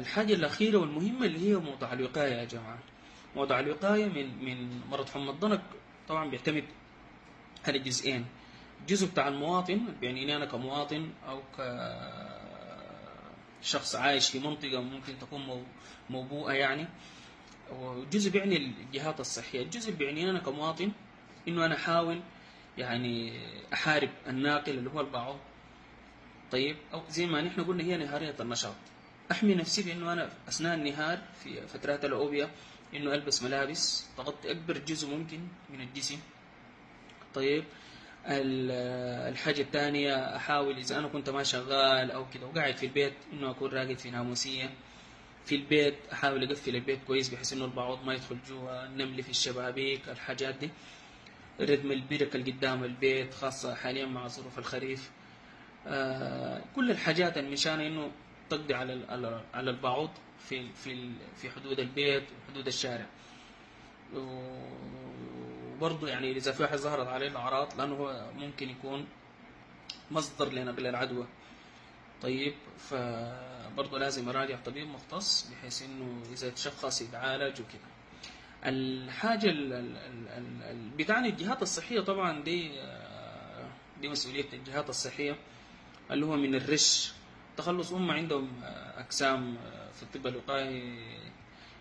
الحاجة الأخيرة والمهمة اللي هي موضوع الوقاية يا جماعة. موضوع الوقاية من مرض حمى الضنك طبعا بيعتمد على جزئين، الجزء بتاع المواطن، يعني أنا كمواطن أو كشخص عايش في منطقة ممكن تكون موبوءة يعني، والجزء بيعني الجهات الصحية. الجزء اللي بيعني أنا كمواطن إنه أنا أحاول يعني أحارب الناقل اللي هو البعوض. طيب أو زي ما نحن قلنا هي نهارية النشاط، أحمي نفسي بأنه أنا أثناء النهار في فترات الأوبئة إنه ألبس ملابس تغطي أكبر جزء ممكن من الجسم. طيب الحاجة الثانية أحاول إذا أنا كنت ما شغال أو كده وقاعد في البيت إنه أكون راقد في ناموسية في البيت، أحاول أقفل البيت كويس بحيث إنه البعوض ما يدخل جوا، النمل في الشبابيك، الحاجات دي، ردم البركة اللي قدام البيت خاصة حاليا مع ظروف الخريف، كل الحاجات اللي مشان إنه تقضي على البعوض في في في حدود البيت وحدود الشارع. وبرضه يعني إذا في واحد ظهرت عليه الأعراض، لأنه هو ممكن يكون مصدر لنقل العدوى. طيب فبرضه لازم أراجع طبيب مختص بحيث إنه إذا تشخص يتعالج وكده. الحاجة اللي بتعني الجهات الصحية طبعا دي مسؤولية الجهات الصحية، اللي هو من الرش تخلص. هم عندهم أقسام في الطب الوقائي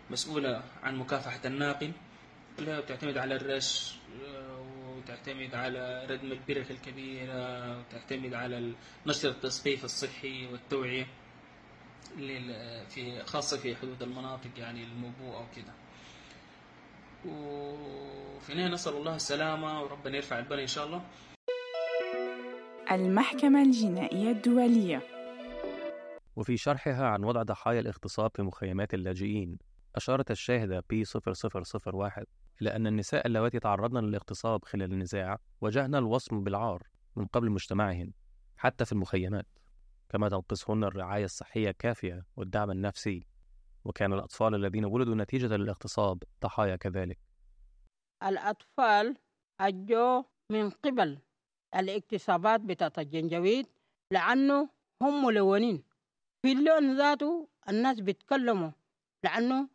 مسؤولة عن مكافحة الناقل، اللي هي بتعتمد على الرش وتعتمد على ردم البرك الكبيرة وتعتمد على نشر التثقيف الصحي والتوعية في خاصة في حدود المناطق يعني الموبوءة وكده. وفي النهاية نسأل الله السلامة وربنا يرفع البلاء إن شاء الله. المحكمة الجنائية الدولية. وفي شرحها عن وضع ضحايا الاغتصاب في مخيمات اللاجئين، أشارت الشاهدة P0001 إلى أن النساء اللواتي تعرضن للاغتصاب خلال النزاع واجهن الوصم بالعار من قبل مجتمعهن حتى في المخيمات، كما تنقصهن الرعاية الصحية الكافية والدعم النفسي، وكان الأطفال الذين ولدوا نتيجة للاغتصاب ضحايا كذلك. الأطفال أجوا من قبل الاغتصابات بتاعت الجنجويد لأنه هم ملونين في اللون ذاته، الناس بيتكلموا لأنه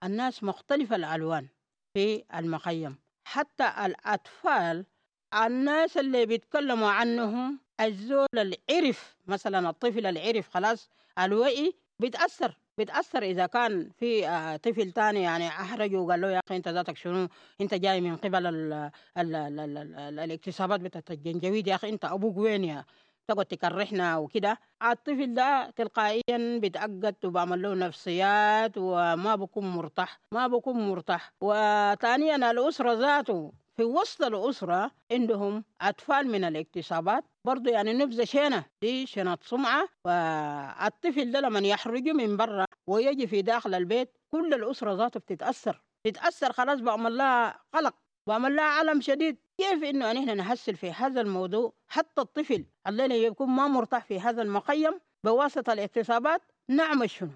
الناس مختلفة الألوان في المخيم. حتى الأطفال الناس اللي بيتكلموا عنهم، الزول العرف مثلا، الطفل العرف خلاص الوعي بيتأثر إذا كان في طفل تاني يعني أحرجه وقال له يا أخي أنت ذاتك شنو، أنت جاي من قبل ال ال ال ال ال الاغتصابات بتاعت الجنجويد، يا أخي أنت أبوك وين يا تقعد تكرهنا وكده. الطفل ده تلقائيا بيتعقد وبعمل له نفسيات وما بكون مرتاح، ما بكون مرتاح. وثانيا الأسرة ذاته، في وسط الأسرة عندهم أطفال من الاغتصابات برضو، يعني نبذة شينة، دي شنة سمعة. والطفل ده لما يحرجه من برا ويجي في داخل البيت كل الأسرة ذاته بتتأثر، تتأثر خلاص، بعمل لها قلق، بعمل لها علم شديد. كيف إنه نحن نحسن في هذا الموضوع حتى الطفل الذي يكون ما مرتاح في هذا المخيم بواسطة الاغتصابات نعمل شنو؟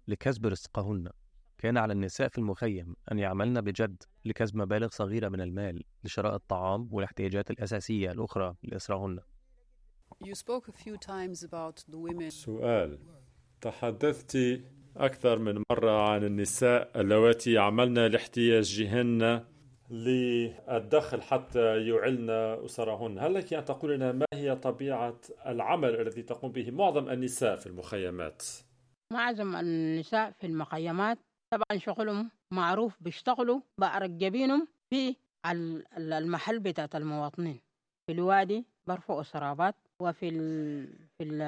لكسب رزقهن كان على النساء في المخيم أن يعملن بجد لكسب مبالغ صغيرة من المال لشراء الطعام والاحتياجات الأساسية الأخرى لأسرهن. You spoke a few times about the women. سؤال: تحدثت أكثر من مرة عن النساء اللواتي يعملن لاحتياجهن للدخل حتى يعلن أسرهن. هل لك أن تقول لنا ما هي طبيعة العمل الذي تقوم به معظم النساء في المخيمات؟ معظم النساء في المخيمات طبعا شغلهم معروف، بيشتغلوا بعرق جبينهم في المحل بتاعت المواطنين في الوادي، برفعوا سرابات، وفي ال في ال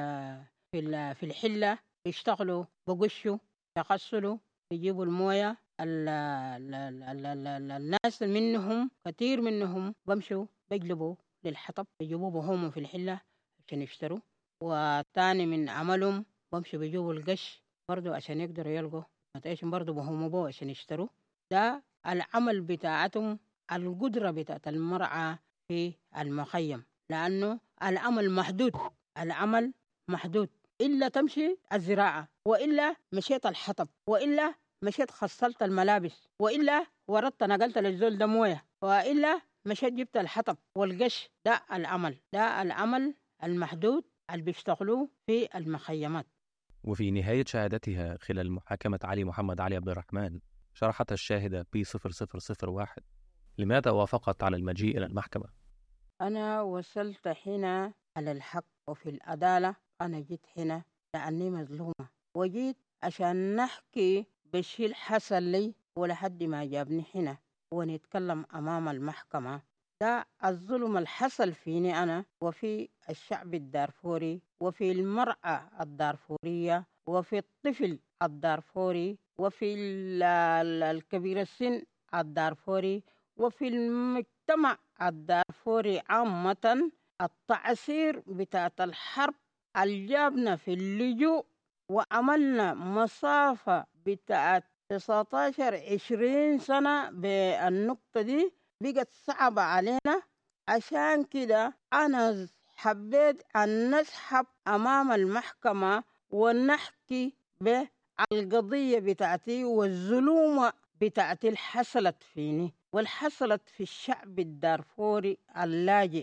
في ال في الحلة بيشتغلوا، بقشوا، يغسلوا، بيجيبوا الموية. ال ال ال ال ال الناس منهم كثير منهم بمشوا بيجلبوا للحطب، بيجيبوه بهم في الحلة عشان يشتروا. وتاني من عملهم بمشوا بيجيبوا القش برضو عشان يقدروا يلقوا متعيشهم، برضو بهم بو عشان يشتروا. ده العمل بتاعتهم، القدرة بتاعت المرأة في المخيم، لأنه العمل محدود، العمل محدود، إلا تمشي الزراعة، وإلا مشيت الحطب، وإلا مشيت خصلت الملابس، وإلا وردت نقلت للزول ده موية، وإلا مشيت جبت الحطب والقش. ده العمل، ده العمل المحدود اللي بيشتغلوه في المخيمات. وفي نهاية شهادتها خلال محاكمة علي محمد علي عبد الرحمن، شرحت الشاهدة P0001 لماذا وافقت على المجيء إلى المحكمة. أنا وصلت هنا على الحق وفي العدالة. أنا جيت هنا لأني مظلومة، وجيت عشان نحكي بالشي اللي حصل لي ولحد ما جابني هنا ونتكلم أمام المحكمة. ده الظلم اللي حصل فيني أنا وفي الشعب الدارفوري وفي المرأة الدارفورية وفي الطفل الدارفوري وفي الكبير السن الدارفوري وفي المجتمع الدارفوري عامة. التعسير بتاعت الحرب اللي جابنا في اللجوء وعملنا مسافة بتاعت 19-20 سنة بالنقطة دي بقت صعبة علينا. عشان كده أنا حبيت أن نسحب أمام المحكمة ونحكي بالقضية بتاعتي والظلومة بتاعتي اللي حصلت فيني واللي حصلت في الشعب الدارفوري اللاجئ.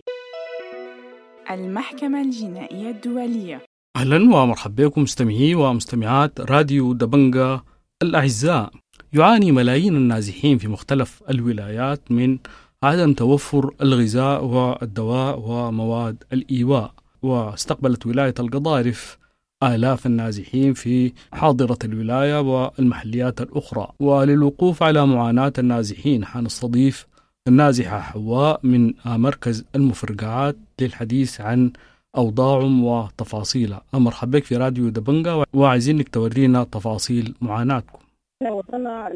المحكمة الجنائية الدولية. أهلا ومرحبا بكم مستمعي ومستمعات راديو دبنجا الأعزاء. يعاني ملايين النازحين في مختلف الولايات من عدم توفر الغذاء والدواء ومواد الإيواء، واستقبلت ولاية القضارف آلاف النازحين في حاضرة الولاية والمحليات الأخرى. وللوقوف على معاناة النازحين حنستضيف النازحة حواء من مركز المفرقعات للحديث عن أوضاعهم وتفاصيلها. مرحبا بك في راديو دبنجا، وعايزينك تورينا تفاصيل معاناتكم. احنا وصلنا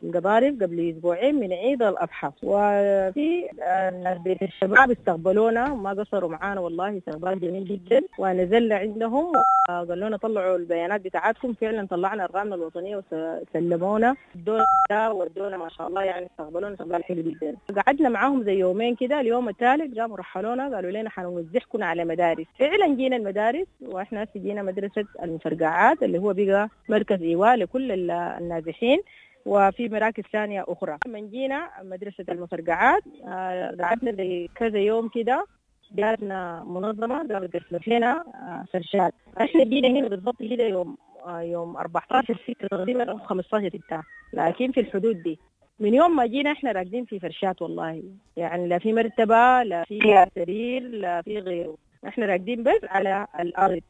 القضارف قبل اسبوعين من عيد الاضحى، وفي ناس بيت الشباب استقبلونا ما قصروا معانا والله، استقبال جميل جدا. ونزلنا عندهم قالوا لنا طلعوا البيانات بتاعتكم، فعلا طلعنا ارقامنا الوطنية وسلمونا الدولة ودونا ما شاء الله، يعني استقبلونا استقبال حلو جدا. قعدنا معاهم زي يومين كده، اليوم الثالث قاموا رحلونا قالوا لنا حنوزعكم على مدارس. فعلا جينا المدارس، واحنا جينا مدرسه المفرقعات اللي هو بقى مركز ايواء لكل النازحين، وفي مراكز ثانية أخرى. لما جينا مدرسة المفرقعات قعدنا زي كذا يوم كده، جاتنا منظمة قامت قسمت لنا فرشات. احنا جينا هنا بالضبط كده يوم 14/6 تقريبا أو 15/6، لكن في الحدود دي. من يوم ما جينا احنا راكدين في فرشات والله، يعني لا في مرتبة لا في سرير لا في غيره، احنا راكدين بس على الأرض.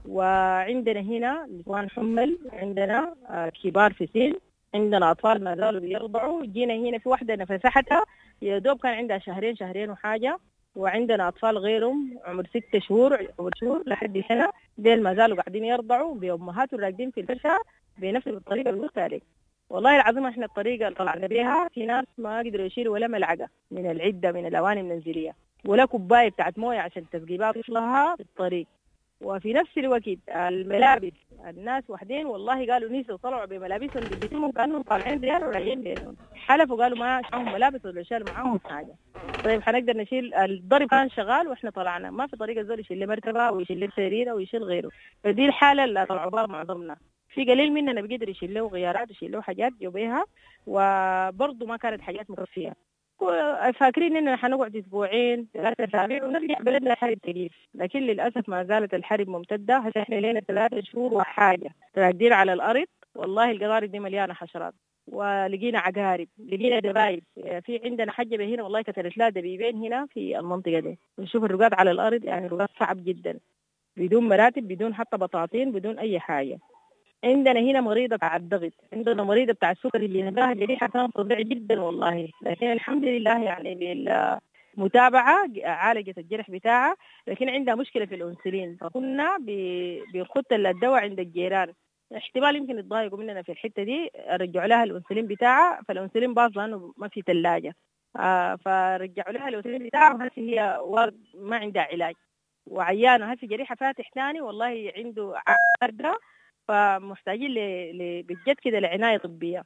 وعندنا هنا نسوان حمل، عندنا كبار في سن، عندنا أطفال ما زالوا بيرضعوا. جينا هنا في واحدة نفسحتها يا دوب كان عندها شهرين وحاجة، وعندنا أطفال غيرهم عمر 6 شهور عمر شهور لحد سنة، ديل ما زالوا قاعدين يرضعوا بأمهاتهم راكدين في الفرشة بنفس الطريقة اللي قلت عليك. والله العظيم احنا الطريقة اللي طلعنا بيها في ناس ما قدروا يشيلوا ولا ملعقة من العدة من الأواني المنزلية ولا كوباية بتاعت موية عشان تسقي بها طفلها في الطريق. وفي نفس الوقت الملابس، الناس وحدين والله قالوا نسوا طلعوا بملابسهم بجسمهم كانهم طالعين زيارة وراجعين بيتهم، حلفوا قالوا ما معهم ملابس ولا شالوا معاهم حاجة. طيب حنقدر نشيل؟ الضرب كان شغال واحنا طلعنا، ما في طريقه زول يشيل مرتبه ويشيل سريره ويشيل غيره. فدي الحالة اللي طلعوا بها معظمنا. في قليل مننا بيقدر يشيل له غيارات ويشيل له حاجات جوبيها، وبرضه ما كانت حاجات مكفيه. فاكرين اننا حنقعد اسبوعين 3 اسابيع ونرجع بلدنا الحرب تقيف، لكن للاسف ما زالت الحرب ممتدة. هسه احنا لنا 3 شهور وحاجه راكدين على الارض. والله القضارب دي مليانة حشرات، ولقينا عقارب، لقينا دبايب. في عندنا حجبه هنا والله كتلت لها دبيبين هنا في المنطقة دي. ونشوف الرقاد على الارض، يعني الرقاد صعب جدا، بدون مراتب، بدون حتى بطاطين، بدون اي حاجة. عندنا هنا مريضة بتاع الضغط، عندنا مريضة بتاع السكر اللي نباها جريحة كان فظيع جدا والله، لكن الحمد لله يعني بالمتابعة عالجت الجرح بتاعها، لكن عندها مشكلة في الأنسولين، فكنا بنخط الدواء عند الجيران، احتمال يمكن يتضايقوا مننا في الحتة دي، رجعوا لها الأنسولين بتاعها، فالأنسولين باظ لأنه ما في ثلاجة، فرجعوا لها الأنسولين بتاعها، وهسه هي ما عندها علاج وعيانة، هسه جريحة فاتح ثاني والله عنده عقدة، فمحتاجين بجد كده لعناية طبية.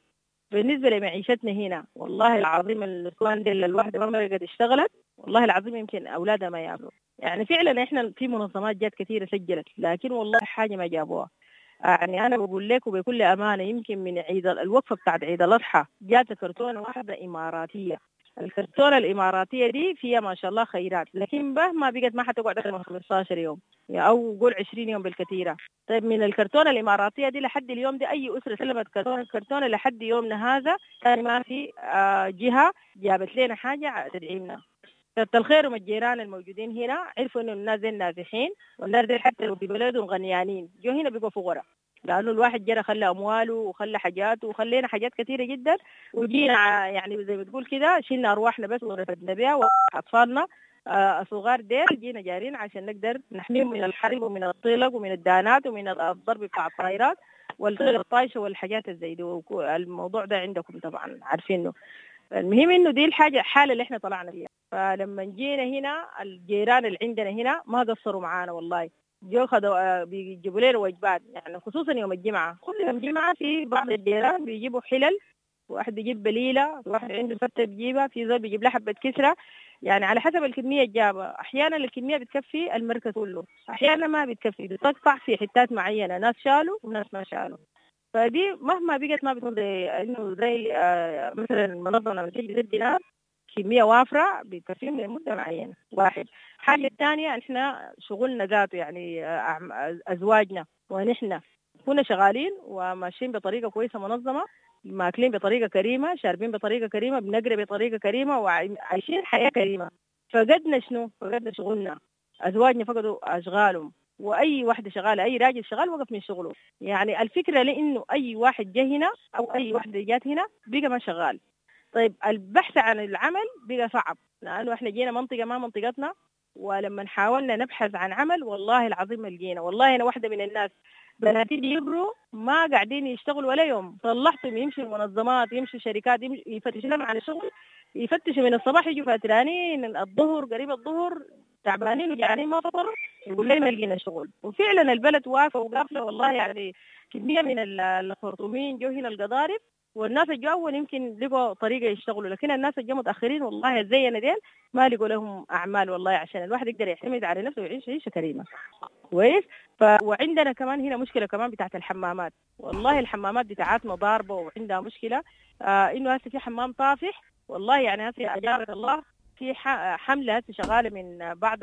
بالنسبة لمعيشتنا هنا والله العظيم النسوان دي الواحدة ما قد اشتغلت والله العظيم يمكن أولادها ما يعملوا. يعني فعلا احنا في منظمات جات كثيرة سجلت، لكن والله حاجة ما جابوها. يعني أنا بقول لكم بكل أمانة يمكن من عيد الوقفة بتاعت عيد الأضحى جات كرتونة واحدة إماراتية. الكرتونة الإماراتية دي فيها ما شاء الله خيرات، لكن مهما بقت ما حتقعد أكثر من 15 يوم أو قول 20 يوم بالكثيرة. طيب من الكرتونة الإماراتية دي لحد اليوم دي أي أسرة سلمت كرتونة لحد يومنا هذا كان ما في جهة جابت لنا حاجة تدعيمنا. كتر الخير ومن الجيران الموجودين هنا عرفوا إنه الناس دي نازحين، والناس دي حتى لو في بلدهم غنيانين جو هنا بيبقوا فقراء، لأنه الواحد جرى خلى أمواله وخلى حاجاته وخلينا حاجات كثيرة جدا، وجينا يعني زي ما تقول كده شلنا أرواحنا بس ورفدنا بها وأطفالنا الصغار ديل جينا جارين عشان نقدر نحميهم من الحرب ومن الطلق ومن الدانات ومن الضرب بتاع الطائرات والطير الطايشة والحاجات الزي دي. الموضوع ده عندكم طبعا عارفينه. المهم إنه دي الحاجة الحالة اللي إحنا طلعنا فيها. فلما جينا هنا الجيران اللي عندنا هنا ما قصروا معانا والله، جو خدوا بيجيبوا لنا وجبات، يعني خصوصا يوم الجمعة، كل يوم جمعة في بعض الجيران بيجيبوا حلل، واحد بيجيب بليلة، واحد عنده فتة بيجيبها، في زول بيجيب له حبة كسرة، يعني على حسب الكمية الجابة. أحيانا الكمية بتكفي المركز كله، أحيانا ما بتكفي، بتقطع في حتات معينة، ناس شالوا وناس ما شالوا. فدي مهما بقت ما بتكون زي إنه زي مثلا المنظمة لما تيجي تدي ناس كمية وافرة بتكفيهم لمدة معينة. واحد. حاجة الثانية إحنا شغلنا ذاته، يعني أزواجنا ونحن كنا شغالين وماشيين بطريقة كويسة منظمة، ماكلين بطريقة كريمة، شاربين بطريقة كريمة، بنقرأ بطريقة كريمة، وعايشين حياة كريمة. فقدنا شنو؟ فقدنا شغلنا، أزواجنا فقدوا أشغالهم، وأي واحدة شغالة، أي راجل شغال وقف من شغله. يعني الفكرة لأنه أي واحد جه هنا أو أي واحدة جات هنا بقى ما شغال. طيب البحث عن العمل بقى صعب، لأنه إحنا جينا منطقة ما منطقتنا، ولما حاولنا نبحث عن عمل والله العظيم ما لقينا. والله أنا واحدة من الناس بناتي بيقروا ما قاعدين يشتغلوا ولا يوم، طلعتهم يمشوا المنظمات، يمشوا شركات، يفتشوا لهم عن الشغل، يفتشوا من الصباح يجوا فاترانين الظهر، قريب الظهر تعبانين وجعانين ما فطروا، يقول لي ما لقينا شغل. وفعلا البلد واقفة وقافله والله، يعني كمية من الخرطومين جو هنا القضارف، والناس الجو اول يمكن لقوا طريقه يشتغلوا، لكن الناس الجو متاخرين والله زينا ديل ما لقوا لهم اعمال والله، عشان الواحد يقدر يعتمد على نفسه ويعيش عيشه كريمة. كويس. وعندنا كمان هنا مشكلة كمان بتاعت الحمامات، والله الحمامات بتاعتنا ضاربه وعندها مشكلة، انه هسه في حمام طافح والله، يعني هسه اجارك الله في حمله هسه شغالة من بعض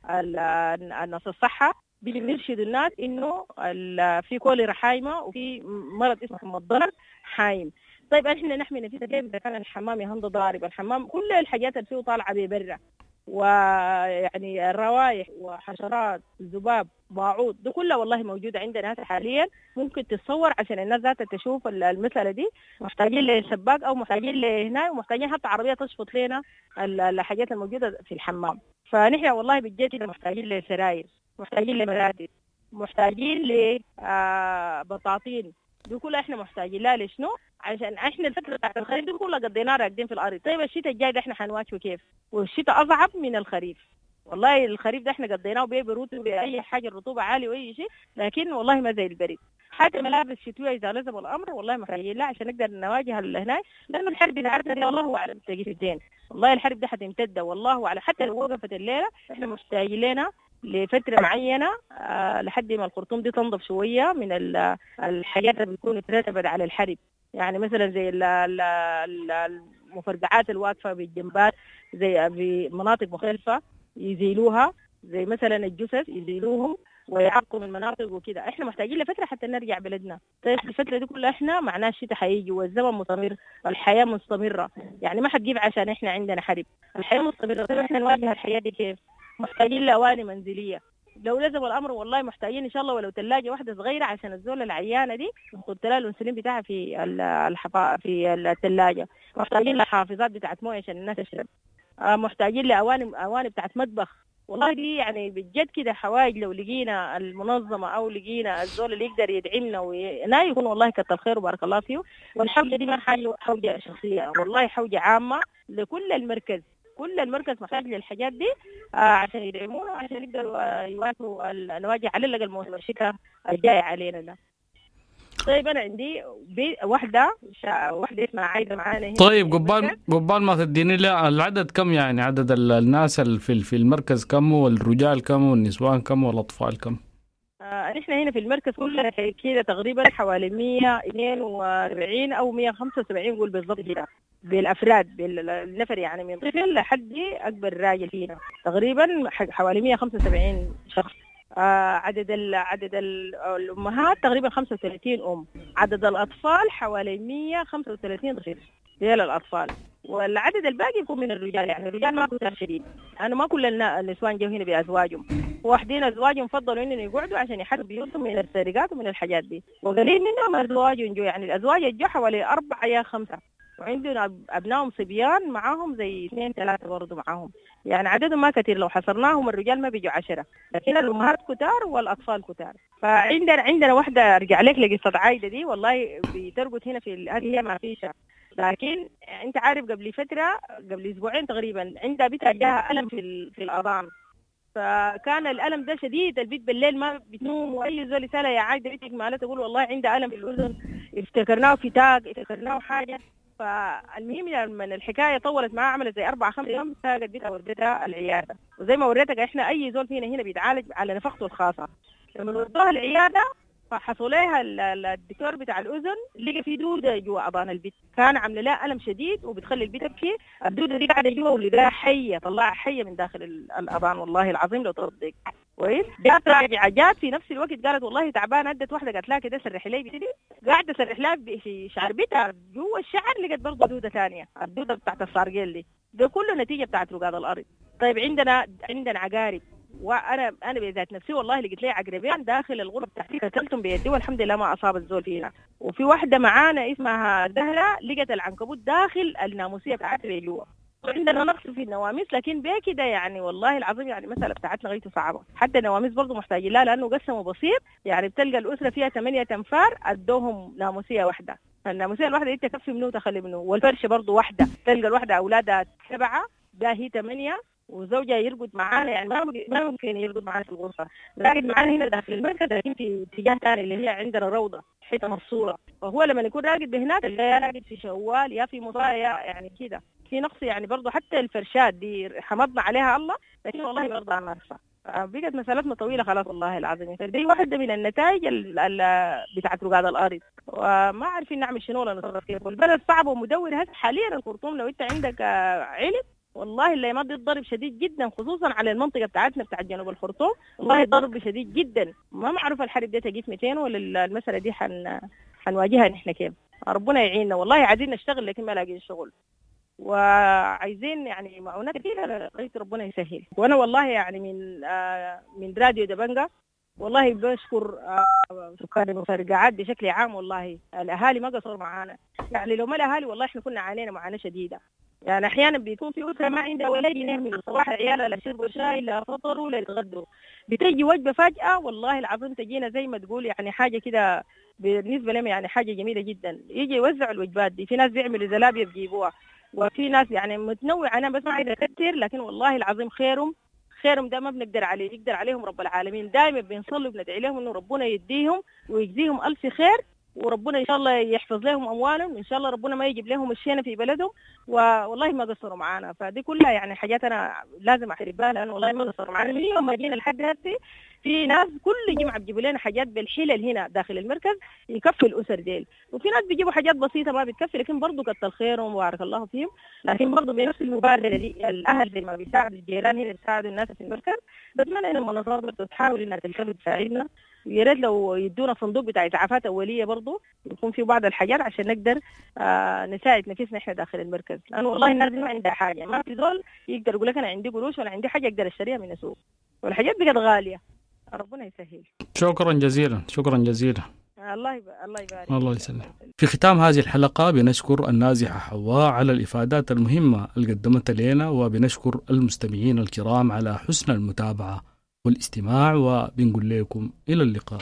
الناس الصحة، بيرشدوا الناس انه في كوليرا حايمه وفي مرض اسمه حمى الضنك حايم. طيب احنا نحمي نفسنا كيف اذا كان الحمام يهند ضارب؟ الحمام كل الحاجات اللي فيه طالعه ببرة، ويعني الروائح وحشرات ذباب باعوض ده كلها والله موجودة عندنا هسه حاليا، ممكن تتصور عشان الناس ذاتها تشوف المسالة دي. محتاجين لسباك او محتاجين لهنا، ومحتاجين حتى عربية تشفط لنا الحاجات الموجودة في الحمام. فنحن والله بالجد محتاجين لسراير، محتاجين لمراتب، محتاجين لبطاطين، دي كلها احنا محتاجين لها. لشنو؟ عشان احنا الفترة بتاعت الخريف دي كلها قضيناها راكدين في الارض. طيب الشتاء الجاي ده احنا حنواجهه كيف؟ والشتاء اصعب من الخريف والله. الخريف ده احنا قضيناه ببروت باي حاجة، الرطوبة عالية واي شيء، لكن والله ما زي البرد. حتى ملابس شتوية اذا لزم الامر والله محتاجين لها عشان نقدر نواجه هناك، لانه الحرب بتاعتنا دي والله اعلم تجي في الدين، والله الحرب دي حتمتد والله اعلم. حتى لو وقفت الليلة احنا محتاجين لنا لفترة معينة لحد ما الخرطوم دي تنضف شوية من الحاجات اللي بتكون اترتبت على الحرب، يعني مثلا زي المفرقعات الواقفة بالجنبات، زي في مناطق مختلفة يزيلوها، زي مثلا الجثث يزيلوهم ويعقوا من المناطق وكده. احنا محتاجين لفترة حتى نرجع بلدنا. طيب الفترة دي كلها احنا معناها الشتاء حيجي والزمن مستمر والحياة مستمرة، يعني ما حتجيب عشان احنا عندنا حرب، الحياة مستمرة. طيب احنا نواجه الحياة دي كيف؟ محتاجين لأواني منزلية لو لزم الأمر والله، محتاجين إن شاء الله ولو ثلاجة واحدة صغيرة عشان الزولة العيانة دي نحط لها الأنسولين بتاعها في في الثلاجة. محتاجين لحافظات بتاعت موية عشان الناس تشرب، محتاجين لأواني بتاعت مطبخ والله. دي يعني بجد كده حوايج لو لقينا المنظمة أو لقينا الزول اللي يقدر يدعمنا ونا يكون والله كتر خير وبارك الله فيه. والحوجة دي ما حوجة شخصية والله، حوجة عامة لكل المركز، كل المركز محتاج للحاجات دي عشان يدعمونا وعشان يقدروا يواجهوا نواجه على الأقل موسم الشتاء الجاي علينا ده. طيب أنا عندي واحدة اسمها عايدة معانا هنا. طيب قبال ما تديني العدد كم، يعني عدد الناس في المركز كم، والرجال كم، والنسوان كم، والأطفال كم؟ نحن هنا في المركز كلنا كده تقريبا حوالي 142 أو 175 قول بالضبط كده بالأفراد بالنفر، يعني من طفل لحد أكبر راجل فينا تقريبا حوالي 175 شخص. عدد الأمهات تقريبا 35 أم، عدد الأطفال حوالي 135 طفل ديال الأطفال، والعدد الباقي يكون من الرجال. يعني الرجال ما كتار شديد، أنا ما كل النسوان جو هنا بأزواجهم، واحدين أزواجهم فضلوا إنهم يقعدوا عشان يحرروا بيوتهم من السرقات ومن الحاجات دي، وقليل منهم أزواجهم جو، يعني الأزواج جو حوالي 4 يا 5، وعندنا أبنائهم صبيان معاهم زي 2 3 برضو معاهم، يعني عددهم ما كثير. لو حصرناهم الرجال ما بيجوا 10، لكن الأمهات كتار والأطفال كتار. فعندنا واحدة أرجع لك لقصة عايدة دي والله بترقد هنا في هي ما فيش، لكن أنت عارف قبل فترة قبل أسبوعين تقريبا عندها بيتها جاها ألم في الأذان، فكان الألم ده شديد، البيت بالليل ما بتنوم، وأي زول سألها يا عايدة بيتك مالها تقول والله عندها ألم في الأذن، افتكرناه فتاق افتكرناه حاجة. فالمهم لما الحكاية طولت معها عملت زي 4 5 يوم، ساقت بيتها ودتها العيادة، وزي ما وريتك احنا اي زول فينا هنا بيتعالج على نفقته الخاصة. لما ودوها العيادة فحصوا لها الدكتور بتاع الاذن، لقى في دوده جوا اذان البيت، كان عامله لها الم شديد وبتخلي البيت تبكي. الدودة دي قاعدة جوا ولقاها حيه، طلعها حيه من داخل الاذان والله العظيم لو تصدق. كويس، جات راجعه، جات في نفس الوقت قالت والله تعبانة، ادت واحدة قالت لها كده سرحي لي بيتي، قاعدة سرح لها في شعر بيتها جوا الشعر، لقت برضه دوده ثانية، الدودة بتاعت الصارقيل دي، ده كله نتيجة بتاعت رقاد الارض. طيب عندنا عقارب، وانا بذات نفسي والله لقيت لي عقربين داخل الغرفة بتاعتي، قتلتهم بيدي والحمد لله ما اصاب الزول فينا. وفي واحدة معانا اسمها زهره لقت العنكبوت داخل الناموسيه بتاعتها جوا. عندنا نقص في النواميس، لكن بيه كده يعني والله العظيم يعني المسالة بتاعتنا غايته صعبة. حتى النواميس برضه محتاجين لها، لانه قسموا بسيط، يعني بتلقى الاسرة فيها 8 انفار ادوهم ناموسيه واحدة، فالناموسيه الواحدة دي تكفي منه وتخلي منه. والفرشه برضه واحدة، تلقى الواحدة اولادها 7، ده هي 8، وزوجها يرقد معانا، يعني ما ممكن يرقد معانا في الغرفة، راقد معانا هنا داخل المركز، لكن في اتجاه ثاني اللي هي عندنا روضة حيطة مفصوله. فهو لما يكون راقد بهناك تلقاه راقد في شوال يا في مطايا، يعني كده في نقص. يعني برضه حتى الفرشات دي حمضنا عليها الله، لكن والله برضه ناقصه. بقت مسألتنا طويلة خلاص والله العظيم. فدي واحدة من النتائج بتاعت رقاد الأرض، وما عارفين نعمل شنو ولا نتصرف كيف. والبلد صعب ومدور هسه حاليا. الخرطوم لو انت عندك علم والله اللي ما ضرب شديد جدا، خصوصا على المنطقة بتاعتنا بتاعت جنوب الخرطوم، والله ضرب شديد جدا. ما معروف الحرب دي تجي في 200 ولا المسألة دي حنواجهها نحن كيف. ربنا يعيننا والله. عايزين نشتغل لكن ما لاقيين شغل، وعايزين يعني معونات كثيرة لغاية ربنا يسهل. وانا والله يعني من راديو دبنجة والله بشكر سكان المفرقعات بشكل عام. والله الاهالي ما قصروا معانا، يعني لو ما الاهالي والله احنا كنا عانينا معاناة شديدة. يعني احيانا بيكون في اسره ما عندها ولا جنيه من الصباح، عيالها لا شربوا شاي لا فطروا لا يتغدوا، بتيجي وجبة فجاة والله العظيم تجينا زي ما تقول يعني حاجة كده بالنسبة لهم، يعني حاجة جميلة جدا. يجي يوزعوا الوجبات دي، في ناس بيعملوا زلابيه بيجيبوها، وفي ناس يعني متنوعة. انا بس ما عايزه اكثر، لكن والله العظيم خيرهم ده ما بنقدر عليه، يقدر عليهم رب العالمين. دائما بنصلي وبندعي لهم انه ربنا يديهم ويجزيهم الف خير، وربنا ان شاء الله يحفظ لهم اموالهم، ان شاء الله ربنا ما يجيب لهم الشينه في بلدهم. والله ما قصروا معانا. فدي كلها يعني حاجات انا لازم اعترف بها، لانه والله ما قصروا معانا من يوم ما جينا لحد هسه. في ناس كل جمعه بيجيبوا لنا حاجات بالحلل هنا داخل المركز يكفي الاسر ديل، وفي ناس بيجيبوا حاجات بسيطة ما بتكفي، لكن برضه كتر خيرهم وبارك الله فيهم. لكن برضه بنفس المبادرة دي الاهل زي ما بيساعدوا الجيران هنا بيساعدوا الناس في المركز. بتمنى ان المنظمات برضه تحاول انها تلتفت تساعدنا، ويا ريت لو يدونا صندوق بتاع اسعافات اوليه برضه يكون في بعض الحاجات عشان نقدر نساعد نفسنا احنا داخل المركز. لانه والله الناس ما عندها حاجة، ما في زول يقدر يقول لك انا عندي قروش ولا عندي حاجة اقدر اشتريها من السوق، والحاجات بقت غالية. ربنا يسهل. شكرا جزيلا، شكرا جزيلا. الله يبارك. الله يسلم. في ختام هذه الحلقة بنشكر النازحة حواء على الإفادات المهمة اللي قدمتها لنا، وبنشكر المستمعين الكرام على حسن المتابعة والاستماع، وبنقول لكم إلى اللقاء.